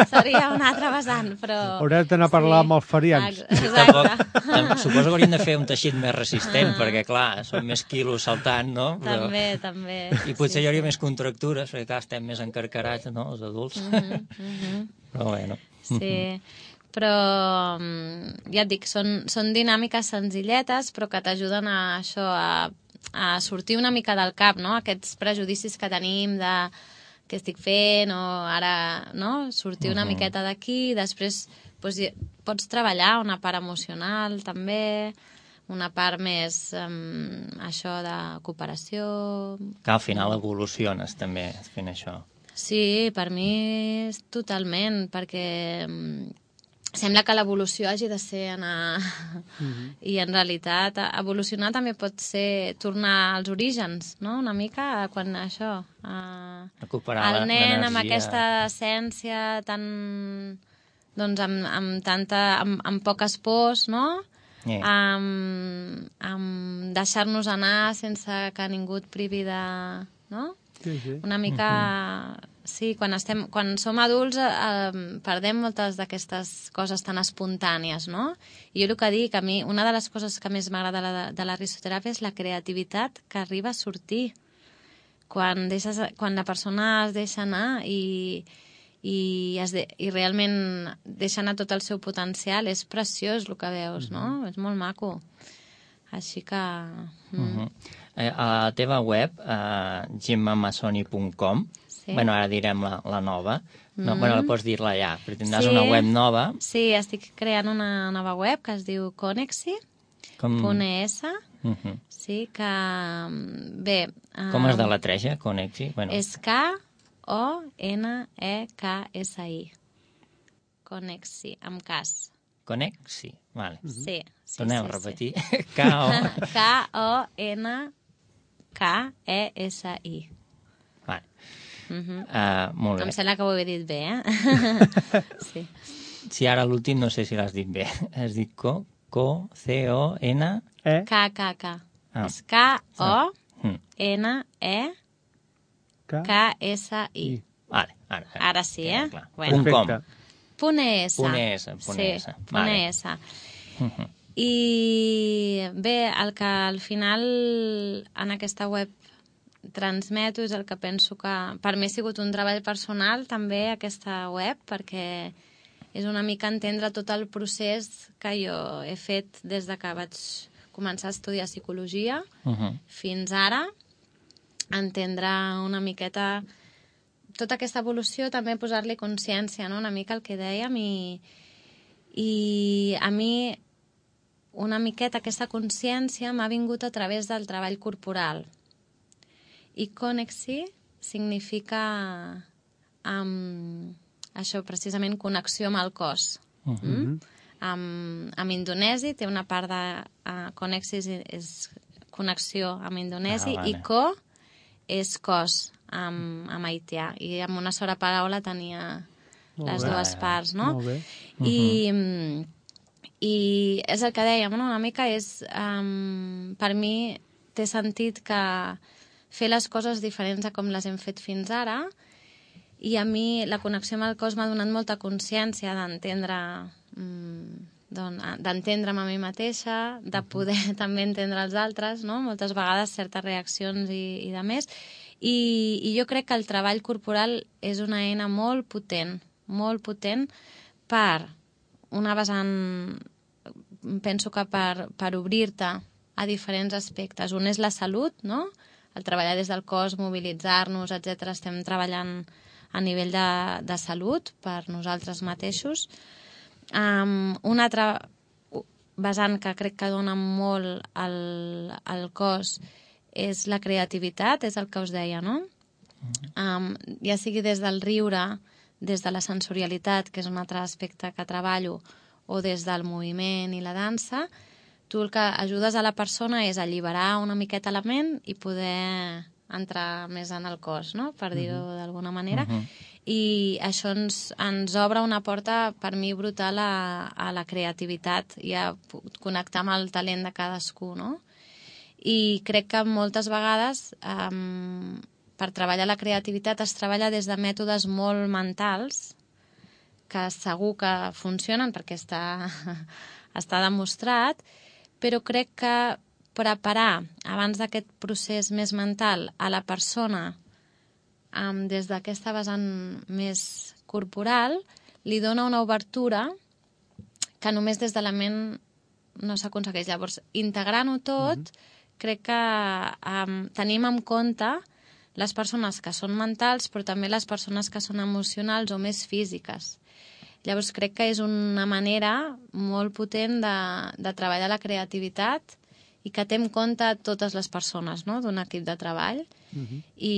Seria una altra vessant, però...
Hauràs d'anar a parlar amb els ferians.
Ex-
Tampoc,
Exacte.
tam, suposo que haurien de fer un teixit més resistent, perquè clar, són més quilos saltant, no? Però...
També, també.
I potser
Sí,
hi hauria
sí.
més contractures, perquè clar, estem més encarcarats, no?, els adults.
Mhm, mhm.
Però bueno.
Sí, però mm, ja et dic, són, són dinàmiques senzilletes però que t'ajuden a això, a, a sortir una mica del cap, no? Aquests prejudicis que tenim de què estic fent o ara, no? Sortir una
Mhm.
miqueta d'aquí, després doncs, hi- pots treballar una part emocional també, una part més um, això de cooperació.
Que al final evoluciones també fent això.
Sí, per mi és totalment, perquè mm, sembla que l'evolució hagi de ser anar...
Mhm.
I en realitat evolucionar també pot ser tornar als orígens, no? Una mica a quan això... A...
Recuperar
El nen amb
l'energia.
aquesta essència tan... doncs amb, amb tanta... amb, amb poques pors, no?
Eh.
Amb, amb deixar-nos anar sense que ningú et privi de... no?
Sí, sí.
Una mica... Sí, quan, estem, quan som adults eh, eh, perdem moltes d'aquestes coses tan espontànies, no? I jo el que dic, a mi, una de les coses que més m'agrada de, la, de la risoteràpia és la creativitat que arriba a sortir. Quan, deixes, quan la persona es deixa anar i, i, es de, i realment deixa anar tot el seu potencial, és preciós el que veus, no? És molt maco. Així que... Mm.
Uh -huh. eh, a la teva web, eh, gemma massoni punt com,
Sí.
bueno, ara direm la, la nova, no,
Mm.
bueno, la pots dir-la ja, perquè tindràs
Sí.
una web nova.
Sí, estic creant una nova web que es diu Conexi punt
Com,
es,
uh -huh.
sí, que... mm, bé...
com es
um,
deletreja, Conexi? Bueno,
És K O N E K S I. Conexi, amb cas.
Conexi, vale.
Sí, sí,
Tornem
sí,
a repetir.
Sí.
K O...
K O N K E S I.
Vale.
Mhm.
Uh, molt
Em
bé.
sembla que ho he dit bé, eh? Sí.
Si ara l'últim no sé si l'has dit bé. Has dit co, co, C O N...
Eh?
K, K, K.
Ah.
És K O
Mm.
N E
K.
K S I.
Vale, ara,
Ara sí,
queda
eh?
clar.
Bueno.
Punt com.
Perfecte.
Punt es.
Punt es, punt
sí,
es.
punt
Vale.
es.
Mhm.
I bé, el que al final en aquesta web transmeto és el que penso que per mi ha sigut un treball personal també aquesta web, perquè és una mica entendre tot el procés que jo he fet des de que vaig començar a estudiar psicologia
Mhm.
fins ara, entendre una miqueta tota aquesta evolució, també posar-li consciència, no? Una mica el que dèiem, i, i a mi una miqueta aquesta consciència m'ha vingut a través del treball corporal, I connexi significa um, això, precisament connexió amb el cos. Uh -huh. mm? Amb, amb indonesi té una part de uh, connexis és connexió amb indonesi ah, vale. I co és cos amb, amb haitià. I amb una sola paraula tenia molt les bé. Dues parts, no?
Molt bé.
I, uh-huh. I és el que dèiem, no? Una mica és... Um, per mi té sentit que fer les coses diferents a com les hem fet fins ara, i a mi la connexió amb el cos m'ha donat molta consciència d'entendre d'entendre'm a mi mateixa, de poder uh-huh. també entendre els altres, no? Moltes vegades certes reaccions i, i de més. I, I jo crec que el treball corporal és una eina molt potent, molt potent per una vessant, penso que per, per obrir-te a diferents aspectes. Un és la salut, no? El treballar des del cos, mobilitzar-nos, etcètera. Estem treballant a nivell de, de salut per nosaltres mateixos. Um, un altre vessant que crec que dona molt al, al cos és la creativitat, és el que us deia, no? Um, ja sigui des del riure, des de la sensorialitat, que és un altre aspecte que treballo, o des del moviment i la dansa, tu el que ajudes a la persona és alliberar una miqueta la ment i poder entrar més en el cos, no? Per dir-ho uh-huh. d'alguna manera. Uh-huh. I això ens, ens obre una porta, per mi, brutal a, a la creativitat i a connectar amb el talent de cadascú, no? I crec que moltes vegades um, per treballar la creativitat es treballa des de mètodes molt mentals, que segur que funcionen perquè està, està demostrat, però crec que preparar abans d'aquest procés més mental a la persona um, des d'aquesta vessant més corporal li dona una obertura que només des de la ment no s'aconsegueix. Llavors, integrant-ho tot, mm-hmm. crec que um, tenim en compte les persones que són mentals, però també les persones que són emocionals o més físiques. Llavors, crec que és una manera molt potent de, de treballar la creativitat i que té en compte totes les persones, no?, d'un equip de treball. Uh-huh. I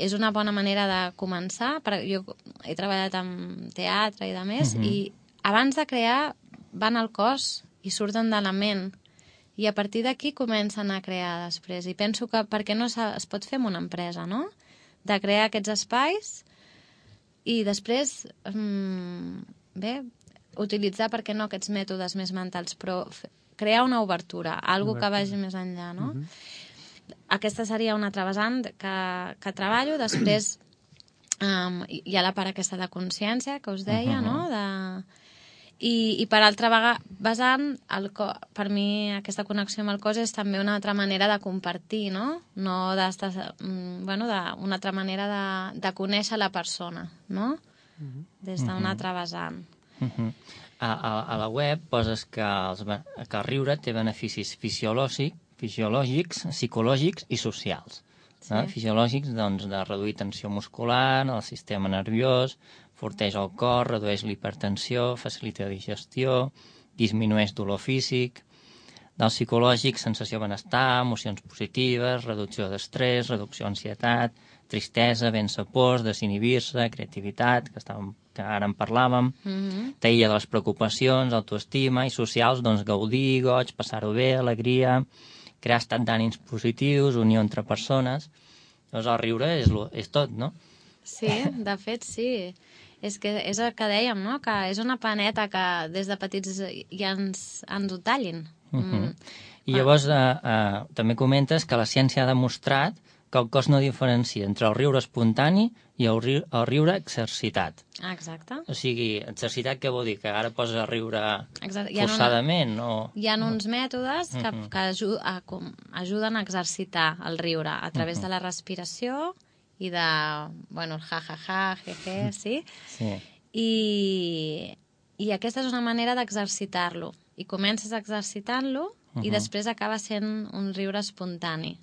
és una bona manera de començar. Jo he treballat en teatre i de més, uh-huh. i abans de crear van al cos i surten de la ment. I a partir d'aquí comencen a crear després. I penso que per què no es pot fer amb una empresa, no?, de crear aquests espais i després, mmm, bé, utilitzar, per què no, aquests mètodes més mentals, però crear una obertura, algo que vagi més enllà, no? Uh-huh. Aquesta seria una altra vessant que, que treballo. Després um, hi ha la part aquesta de consciència que us deia, uh-huh. no? De... I, i per altra vessant, el co... per mi aquesta connexió amb el cos és també una altra manera de compartir, no? No d'estar... Bueno, de, una altra manera de, de conèixer la persona, no? Uh-huh. Des d'una uh-huh. altra vessant.
Uh-huh. A, a, a la web poses que, els, que el riure té beneficis fisiològics, fisiològics, psicològics i socials. Sí. No? Fisiològics, doncs, de reduir tensió muscular, el sistema nerviós, forteix el cor, redueix l'hipertensió, facilita la digestió, disminueix dolor físic. Del psicològic, sensació de benestar, emocions positives, reducció d'estrès, reducció d'ansietat, tristesa, vèncer pors, desinhibir-se, creativitat, que, estàvem, que ara en parlàvem, mm-hmm. t'aïlla de les preocupacions, autoestima, i socials, doncs, gaudir, goig, passar-ho bé, alegria, crear estat d'ànims positius, unió entre persones. Doncs el riure és, lo, és tot, no?
Sí, de fet, sí. És que és el que dèiem, no?, que és una paneta que des de petits ja ens, ens ho tallin.
Uh-huh. Mm. I llavors eh, eh, també comentes que la ciència ha demostrat que el cos no diferencia entre el riure espontani i el, ri el riure exercitat.
Exacte.
O sigui, exercitat què vol dir? Que ara poses a riure forçadament?
Hi ha, una...
o...
Hi ha uns mètodes que, uh-huh. que aju a, com, ajuden a exercitar el riure a través uh-huh. de la respiració i de, bueno, el ja-ja-ja, je-je, sí?
Sí.
I, I aquesta és una manera d'exercitar-lo. I comences exercitant-lo uh-huh. i després acaba sent un riure espontani.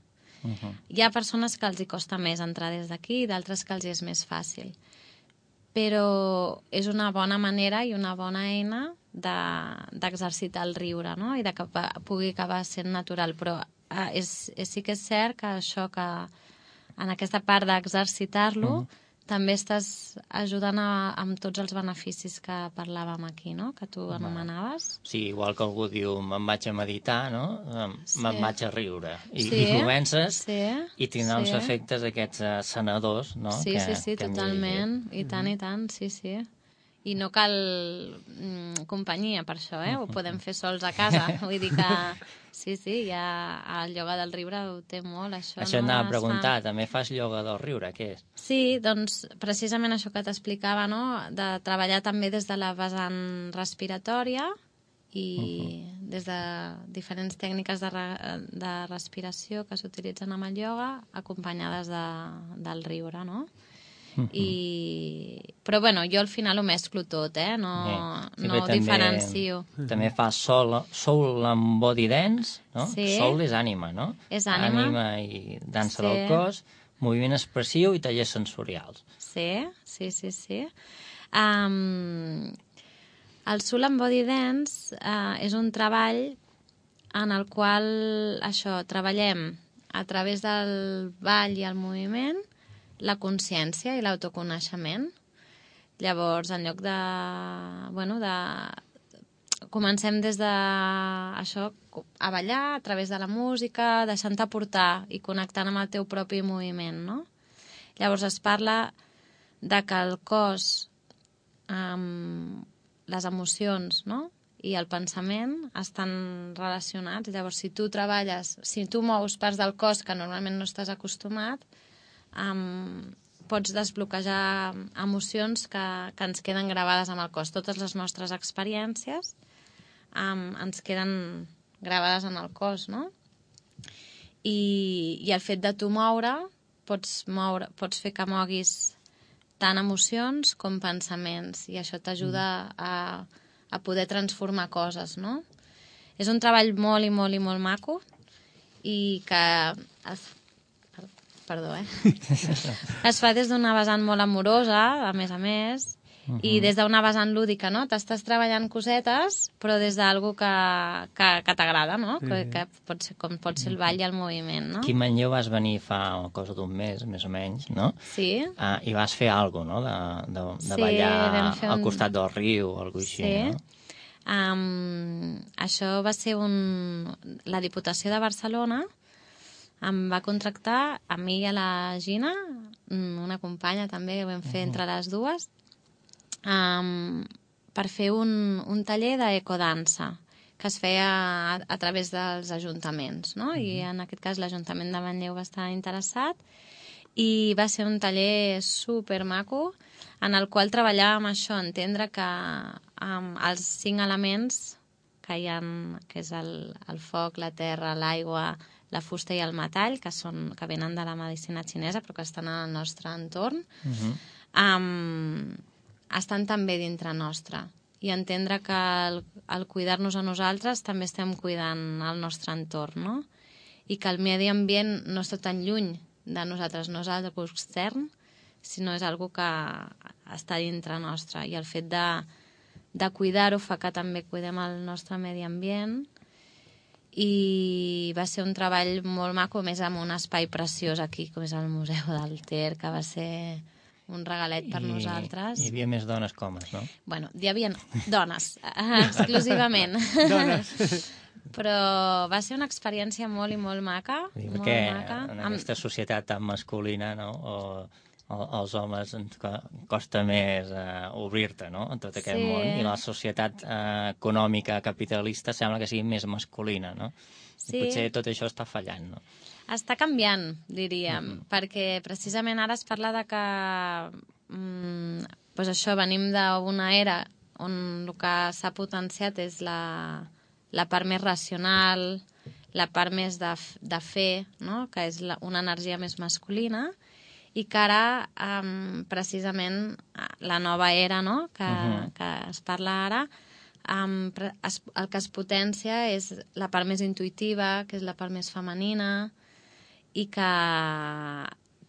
Uh-huh. Hi ha persones que els hi costa més entrar des d'aquí i d'altres que els hi és més fàcil. Però és una bona manera i una bona eina d'exercitar de, el riure, no?, i de que pugui acabar sent natural. Però eh, és, és, sí que és cert que això que en aquesta part d'exercitar-lo,
Mhm.
també estàs ajudant a, amb tots els beneficis que parlàvem aquí, no? Que tu anomenaves.
Sí, igual que algú diu me'n vaig a meditar, no? Em-
Sí.
Me'n vaig a riure. I,
Sí,
i comences
sí,
i tindrà uns
sí.
efectes aquests eh, sanadors, no?
Sí,
que,
sí, sí,
que hem
totalment. I tant, i tant, sí, sí. I no cal mm, companyia per això, eh? Ho podem fer sols a casa. Vull dir que sí, sí, ja el ioga del riure ho té molt, això.
Això
no?
anava a
Es
preguntar,
fa...
també fas ioga del riure, què és?
Sí, doncs precisament això que t'explicava, no? De treballar també des de la vessant respiratòria i uh-huh. des de diferents tècniques de, re, de respiració que s'utilitzen amb el ioga acompanyades de, del riure, no? Uh-huh. I... Però bueno, jo al final ho mesclo tot, eh? No,
Sí. Sí,
no
també,
diferencio.
També fas soul, soul and body dance, no?
Sí.
Soul és ànima, no?
És ànima.
Ànima i dansa
Sí.
del cos, moviment expressiu i tallers sensorials.
Sí, sí, sí, sí. Um, el Soul and Body Dance uh, és un treball en el qual això, treballem a través del ball i el moviment la consciència i l'autoconeixement. Llavors, en lloc de... Bueno, de... Comencem des de això, a ballar a través de la música, deixant-te portar i connectant amb el teu propi moviment, no? Llavors es parla de que el cos, amb les emocions, no? I el pensament estan relacionats. Llavors, si tu treballes, si tu mous parts del cos que normalment no estàs acostumat, um, pots desbloquejar emocions que, que ens queden gravades amb el cos. Totes les nostres experiències um, ens queden gravades en el cos, no? I, i el fet de tu moure, pots, moure, pots fer que moguis tant emocions com pensaments, i això t'ajuda a, a poder transformar coses, no? És un treball molt i molt i molt maco i que es, perdó, eh? es fa des d'una vessant molt amorosa, a més a més, uh-huh. i des d'una vessant lúdica, no? T'estàs treballant cosetes, però des d'algú que, que, que t'agrada, no? Sí. Que, que pot ser, com pot ser el ball i el moviment, no?
Aquí a Manlleu vas venir fa cosa d'un mes, més o menys, no?
Sí.
Uh, I vas fer alguna cosa, no? De, de, de
Sí,
ballar
un...
al costat del riu o alguna cosa així,
sí.
no?
Um, això va ser un... La Diputació de Barcelona em va contractar a mi i a la Gina, una companya també, ho vam fer uh-huh. entre les dues, um, per fer un, un taller d'ecodansa que es feia a, a través dels ajuntaments, no? Uh-huh. I en aquest cas l'Ajuntament de Manlleu va estar interessat i va ser un taller supermaco en el qual treballàvem això, entendre que um, els cinc elements que hi ha, que és el, el foc, la terra, l'aigua, la fusta i el metall, que, són, que venen de la medicina xinesa però que estan en el nostre entorn, uh-huh. um, estan també dintre nostre. I entendre que el, el cuidar-nos a nosaltres també estem cuidant el nostre entorn, no? I que el medi ambient no està tan lluny de nosaltres, no és algo extern, sinó és algo que està dintre nostre. I el fet de, de cuidar-ho fa que també cuidem el nostre medi ambient. I va ser un treball molt maco, més amb un espai preciós aquí, com és el Museu del Ter, que va ser un regalet per I, nosaltres.
Hi havia més dones que homes, no?
Bueno, hi havia dones, exclusivament. Dones. Però va ser una experiència molt i molt maca.
Sí,
molt
perquè
maca.
en aquesta societat tan masculina, no?, o, o als homes ens costa més uh, obrir-te, no?, en tot aquest sí. món, i la societat uh, econòmica capitalista sembla que sigui més masculina, no? Sí. I potser tot això està fallant, no?
Està canviant, diríem, uh-huh. perquè precisament ara es parla de que mm, pues això, venim d'una era on el que s'ha potenciat és la, la part més racional, la part més de, de fer, no?, que és la, una energia més masculina, i que ara, um, precisament, la nova era, no?, que, uh-huh. que es parla ara, um, es, el que es potencia és la part més intuïtiva, que és la part més femenina, i que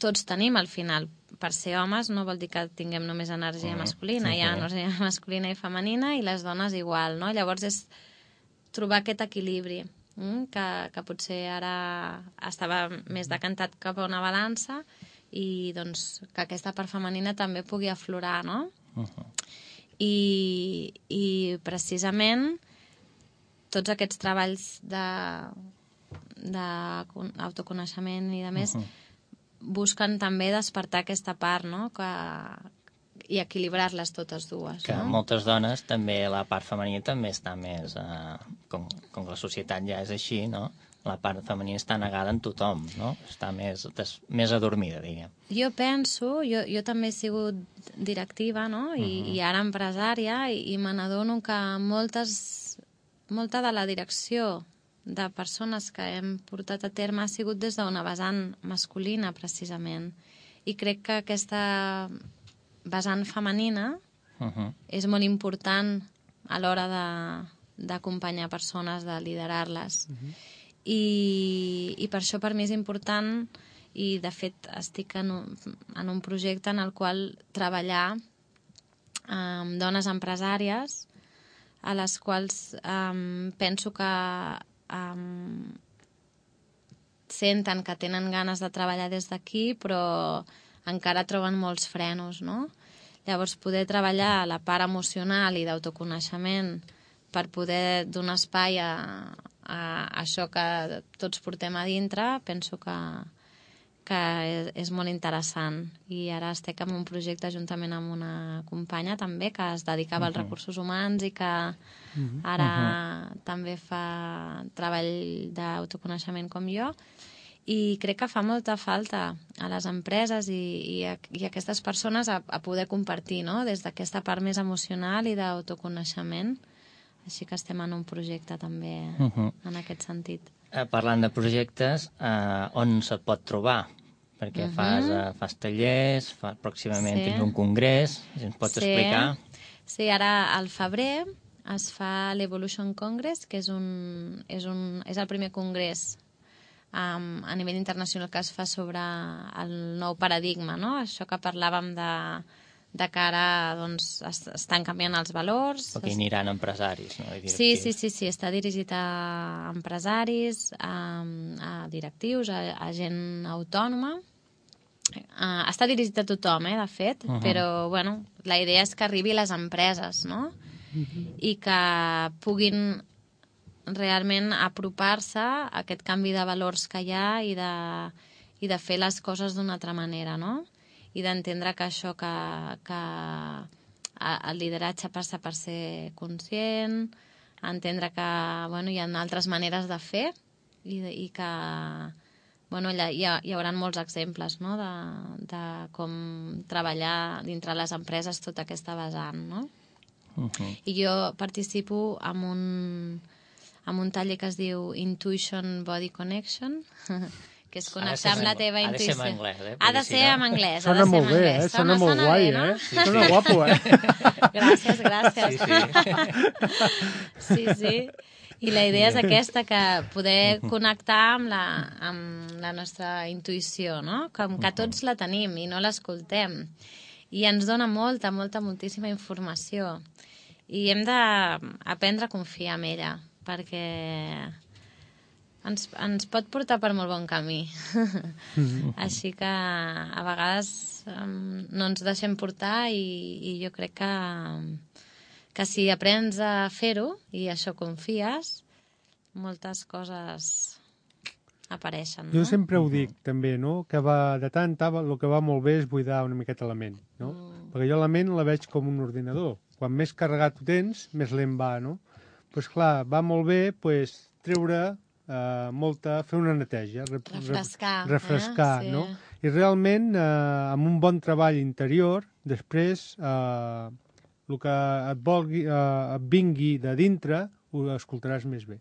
tots tenim al final. Per ser homes no vol dir que tinguem només energia uh-huh. masculina, sí, hi ha energia masculina i femenina, i les dones igual, no? Llavors és trobar aquest equilibri. que, que potser ara estava més decantat cap a una balança i doncs que aquesta part femenina també pugui aflorar, no? Uh-huh. I, i precisament tots aquests treballs de, d'autoconeixement i de més uh-huh. busquen també despertar aquesta part, no? Que, i equilibrar-les totes dues.
Que
no?
moltes dones, també la part femenina també està més... Eh, com, com que la societat ja és així, no? La part femenina està negada en tothom, no? Està més, des, més adormida, diguem.
Jo penso, jo, jo també he sigut directiva, no? I, uh-huh. i ara empresària, i, i me n'adono que moltes, molta de la direcció de persones que hem portat a terme ha sigut des d'una vessant masculina, precisament. I crec que aquesta vessant femenina uh-huh. és molt important a l'hora d'acompanyar persones, de liderar-les. Uh-huh. I, I per això per mi és important, i de fet estic en un, en un projecte en el qual treballar amb dones empresàries a les quals um, penso que um, senten que tenen ganes de treballar des d'aquí, però encara troben molts frenos, no? Llavors, poder treballar la part emocional i d'autoconeixement per poder donar espai a, a això que tots portem a dintre, penso que, que és, és molt interessant. I ara estic en un projecte juntament amb una companya també que es dedicava uh-huh. als recursos humans i que uh-huh. ara uh-huh. també fa treball d'autoconeixement com jo. I crec que fa molta falta a les empreses i, i, a, i a aquestes persones a, a poder compartir, no? Des d'aquesta part més emocional i d'autoconeixement. Així que estem en un projecte també uh-huh. en aquest sentit.
Eh, parlant de projectes, eh, on se't pot trobar? Perquè uh-huh. fas, eh, fas tallers, fa, pròximament sí. tens un congrés, si ens pots sí. explicar.
Sí, ara al febrer es fa l'Evolution Congress, que és, un, és, un, és el primer congrés Um, a nivell internacional que es fa sobre el nou paradigma, no? Això que parlàvem de, de que ara doncs, es, estan canviant els valors.
Perquè hi aniran empresaris, no?
Sí, sí, sí, sí, està dirigit a empresaris, a, a directius, a, a gent autònoma. Uh, està dirigit a tothom, eh, de fet, uh-huh. però bueno, la idea és que arribi a les empreses, no? Uh-huh. I que puguin realment apropar-se a aquest canvi de valors que hi ha i de, i de fer les coses d'una altra manera, no? I d'entendre que això, que, que el lideratge passa per ser conscient, entendre que bueno, hi ha altres maneres de fer i, de, i que bueno, hi, ha, hi haurà molts exemples, no? de, de com treballar dintre les empreses tota aquesta vessant, no? Uh-huh. I jo participo en un amb un taller que es diu Intuition Body Connection, que és connectar amb la teva intuïció.
Ha de ser en anglès, eh?
Ha de ser en anglès.
Sona molt bé, eh? Sona molt guai, eh? Sona guapo, eh?
Gràcies, gràcies.
Sí, sí.
Sí, sí. I la idea és aquesta, que poder connectar amb la, amb la nostra intuïció, no? Com que tots la tenim i no l'escoltem. I ens dona molta, molta, moltíssima informació. I hem d'aprendre a confiar en ella, perquè ens, ens pot portar per molt bon camí. Mm-hmm. Així que a vegades um, no ens deixem portar i, i jo crec que, que si aprens a fer-ho i això confies, moltes coses apareixen.
Jo no? sempre ho dic, també, no? Que va, de tant, el que va molt bé és buidar una miqueta la ment, no? Mm. Perquè jo la ment la veig com un ordinador. Quan més carregat ho tens, més lent va, no? Doncs clar, va molt bé pues, treure eh, molta, fer una neteja, rep,
refrescar,
rep, refrescar
eh? Sí.
no? I realment, eh, amb un bon treball interior, després, eh, el que et, volgui, eh, et vingui de dintre, ho escoltaràs més bé.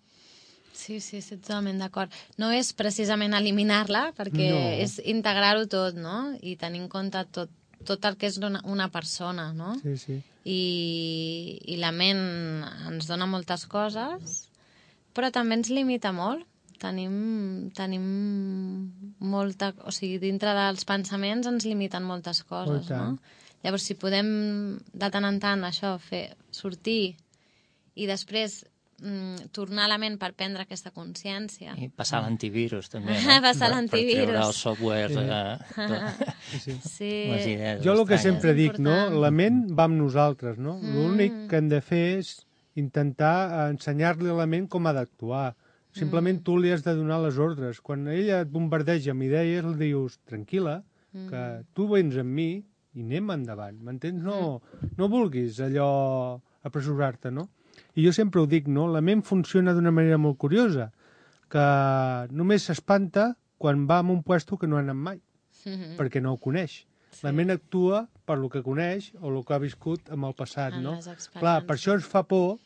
Sí, sí, estic totalment d'acord. No és precisament eliminar-la, perquè no. és integrar-ho tot, no? I tenir en compte tot, tot el que és una, una persona, no?
Sí, sí.
I, i la ment ens dona moltes coses, però també ens limita molt. Tenim, tenim molta... O sigui, dintre dels pensaments ens limiten moltes coses, no? Llavors, si podem, de tant en tant, això, fer sortir i després mm, tornar a la ment per prendre aquesta consciència.
I passar l'antivirus, també, no?
Passar
Per-
l'antivirus.
Per treure els softwares... Eh,
Sí, sí.
Sí.
les idees
Jo el que
estranyes.
sempre
És
dic, no?
important.
La ment va amb nosaltres, no?
Mm.
L'únic que hem de fer és intentar eh, ensenyar-li a la ment com ha d'actuar. Simplement tu li has de donar les ordres. Quan ella et bombardeja amb idees, li dius, tranquil·la, que tu vens amb mi i anem endavant, m'entens? No, no vulguis allò apressurar-te, no? I jo sempre ho dic, no? La ment funciona d'una manera molt curiosa, que només s'espanta quan va a un puesto que no ha anat mai,
Mhm.
perquè no ho coneix. La ment actua per lo que coneix o el que ha viscut amb el passat,
En
no?
les experiències.
Clar, per això ens fa por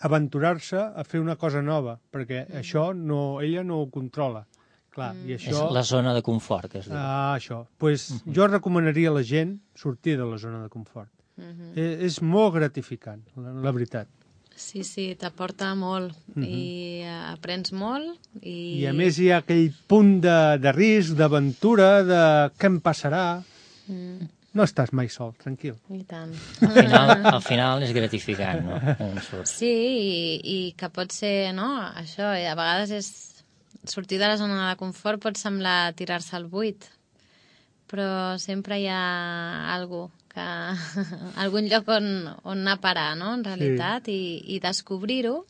aventurar-se a fer una cosa nova, perquè
Mm.
això no, ella no ho controla. Clar, i
És
això...
la zona de confort, que es diu.
Ah, això. Pues jo recomanaria a la gent sortir de la zona de confort.
Mhm.
Eh, és molt gratificant, la, la veritat.
Sí, sí, t'aporta molt i eh, aprens molt i...
I a més hi ha aquell punt de, de risc, d'aventura, de què em passarà.
Mm,
No estàs mai sol, tranquil.
I tant.
Al final, al final és gratificant, no? On surts.
Sí, i, i que pot ser, no?, això, i a vegades és... Sortir de la zona de confort pot semblar tirar-se al buit, però sempre hi ha algú que... algun lloc on, on anar a parar, no?, en realitat, sí. i, i descobrir-ho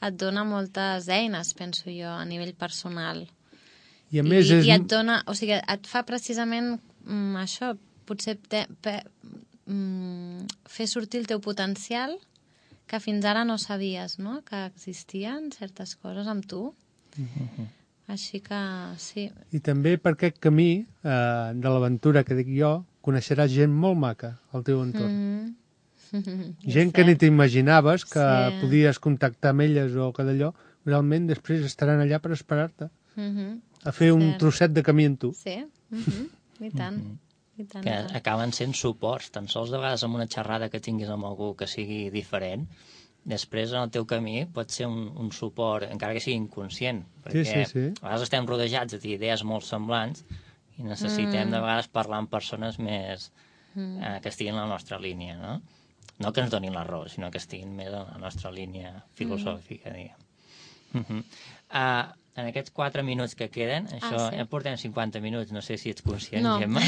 et dona moltes eines, penso jo, a nivell personal.
I a més
I,
és...
i et dona, o sigui, et fa precisament mm, això, potser te, pe, mm, fer sortir el teu potencial que fins ara no sabies, no?, que existien certes coses amb tu.
Mhm.
Així que, sí.
I també per aquest camí eh, de l'aventura que dic jo, coneixeràs gent molt maca al teu entorn.
Mm -hmm.
Gent que ni t'imaginaves que
Sí.
podies contactar amb elles o que d'allò, realment després estaran allà per esperar-te,
Mm -hmm.
a fer un
Cert.
trosset de camí amb tu.
Sí, mm -hmm. I tant. I tant.
Que
i tant.
acaben sent suports, tan sols de vegades amb una xerrada que tinguis amb algú que sigui diferent, després en el teu camí pot ser un, un suport, encara que sigui inconscient, perquè
sí, sí.
a vegades estem rodejats d'idees molt semblants i necessitem
Mm.
de vegades parlar amb persones més
Mm.
eh, que estiguin en la nostra línia, no? No que ens donin la raó, sinó que estiguin més en la nostra línia filosòfica, mm. diguem. Uh-huh. Uh, en aquests quatre minuts que queden, això,
Ah, sí.
ja portem cinquanta minuts, no sé si ets conscient,
No.
Gemma.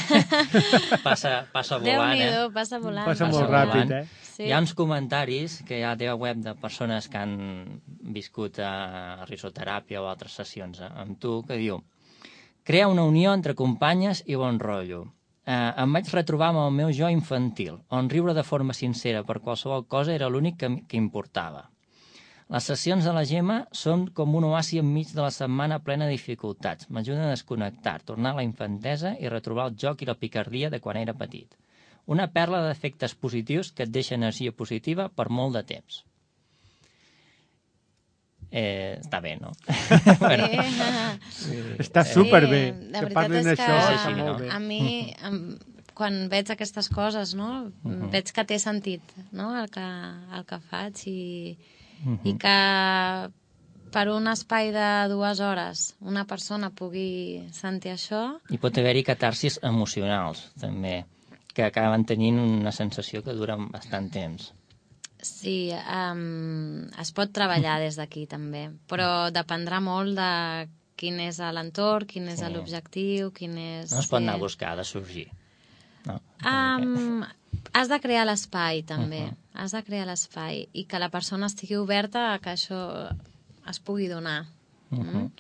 passa, passa volant,
Déu-n'hi-do,
eh?
passa volant.
Passa
Passa
molt
volant.
ràpid, eh?
Sí.
Hi ha uns comentaris que hi ha a la teva web de persones que han viscut a risoteràpia o altres sessions amb tu, que diu: crea una unió entre companyes i bon rotllo. Eh, em vaig retrobar amb el meu jo infantil, on riure de forma sincera per qualsevol cosa era l'únic que, que importava. Les sessions de la Gemma són com un oasi enmig de la setmana plena de dificultats. M'ajuden a desconnectar, tornar a la infantesa i retrobar el joc i la picardia de quan era petit. Una perla d'efectes positius que et deixa energia positiva per molt de temps. Eh, està bé, no? bueno,
Sí.
Està superbé.
Sí, la
que
veritat
parlin
és que
això,
És
està
així,
molt
no?
bé.
a mi, em, quan veig aquestes coses, no,
Mhm.
veig que té sentit, no, el que, el que faig i,
Mhm.
i que per un espai de dues hores una persona pugui sentir això,
I pot haver-hi catarsis emocionals, també, que acaben tenint una sensació que dura bastant temps.
sí, um, es pot treballar des d'aquí també, però dependrà molt de quin és l'entorn, quin és
Sí.
l'objectiu, quin és...
No es pot anar a
sí.
buscar, ha de sorgir. No?
Um, has de crear l'espai, també.
Uh-huh.
Has de crear l'espai i que la persona estigui oberta a que això es pugui donar.
Uh -huh.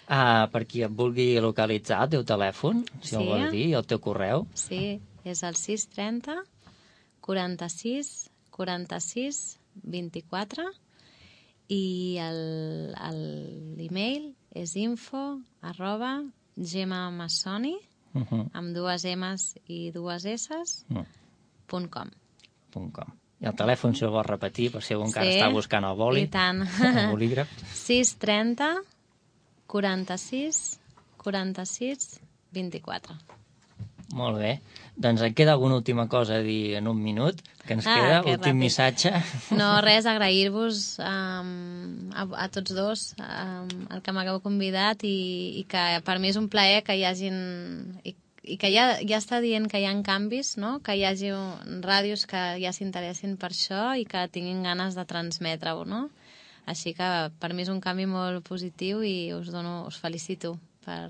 uh, per qui et vulgui localitzar, el teu telèfon, si
Sí.
el vols dir, i el teu correu.
Sí, és el sis trenta quaranta-sis quaranta-sis vint-i-quatre i el- el- l'email és info arroba gemamassoni
Uh -huh.
amb dues M's i dues S's
uh
punt com.
-huh. com. I el telèfon, si el vols repetir, per si algú encara
Sí,
està buscant el boli,
i tant.
el bolígraf.
sis trenta quaranta-sis quaranta-sis vint-i-quatre.
Molt bé. Doncs et queda alguna última cosa a dir en un minut, que ens
Ah,
queda,
que
últim
ràpid.
missatge.
No, res, agrair-vos um, a, a tots dos um, el que m'hagueu convidat i, i que per mi és un plaer que hi hagin... I, i que ja, ja està dient que hi ha canvis, no? Que hi hagi ràdios que ja s'interessin per això i que tinguin ganes de transmetre-ho, no? Així que per mi és un canvi molt positiu i us dono, us felicito per,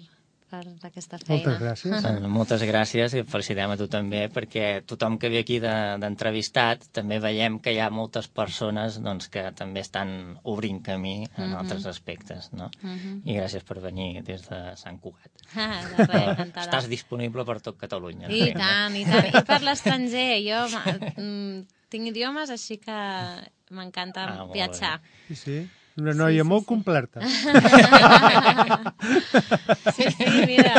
per aquesta feina.
Moltes gràcies.
Doncs moltes gràcies i et felicitem a tu també, perquè tothom que ve aquí d'entrevistat de, també veiem que hi ha moltes persones doncs, que també estan obrint camí en mm-hmm. altres aspectes, no? Mm-hmm. I gràcies per venir des de Sant Cugat.
Ah, de res, encantada.
Estàs disponible per tot Catalunya.
I tant, i tant. I per l'estranger. Jo mm, tinc idiomes, així que m'encanta ah, viatjar.
Sí, sí. Una noia sí, sí, molt sí. completa.
Sí, sí, mira.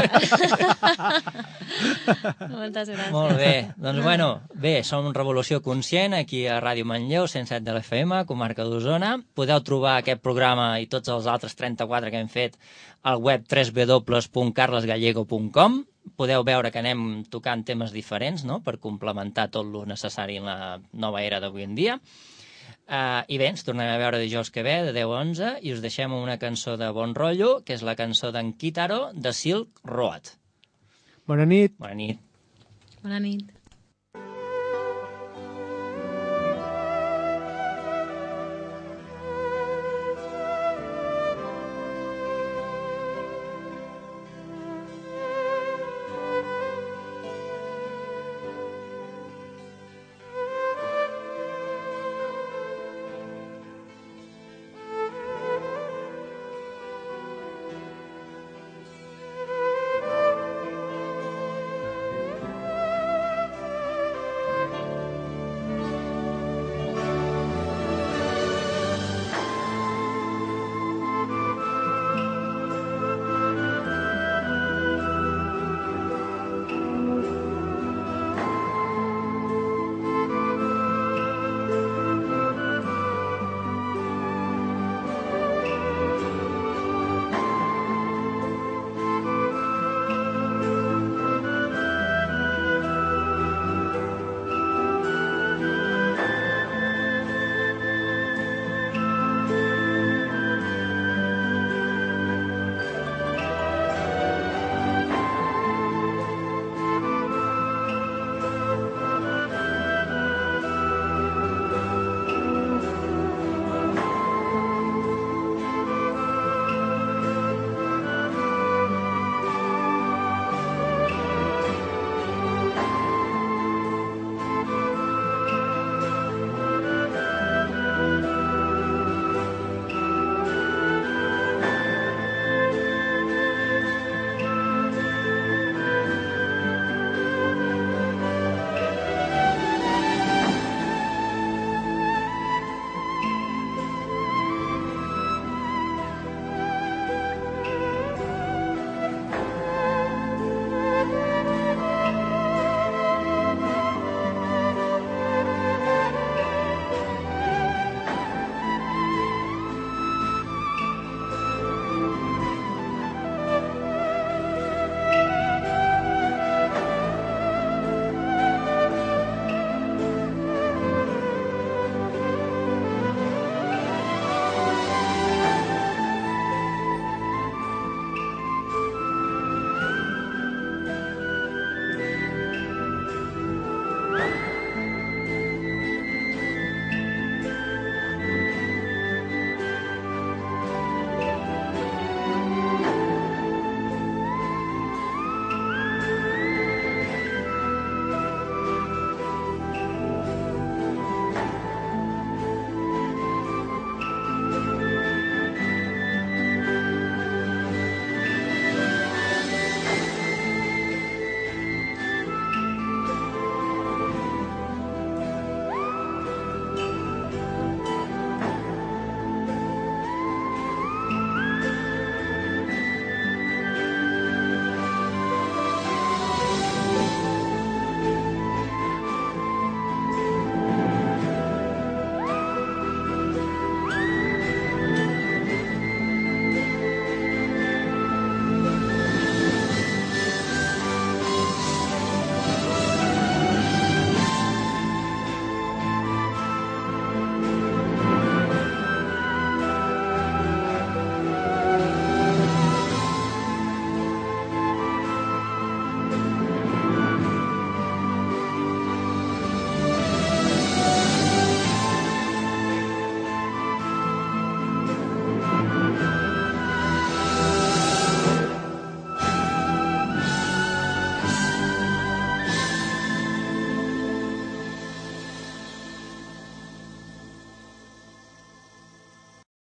Moltes gràcies.
Molt bé. Doncs bueno, bé, som Revolució Conscient, aquí a Ràdio Manlleu, cent set de l'F M, comarca d'Osona. Podeu trobar aquest programa i tots els altres trenta-quatre que hem fet al web w w w punt carles gallego punt com. Podeu veure que anem tocant temes diferents, no?, per complementar tot el necessari en la nova era d'avui en dia. Uh, I bé, ens tornem a veure dijous que ve, de deu a onze, i us deixem una cançó de bon rotllo, que és la cançó d'en Kitaro, de Silk Road.
Bona nit.
Bona nit.
Bona nit.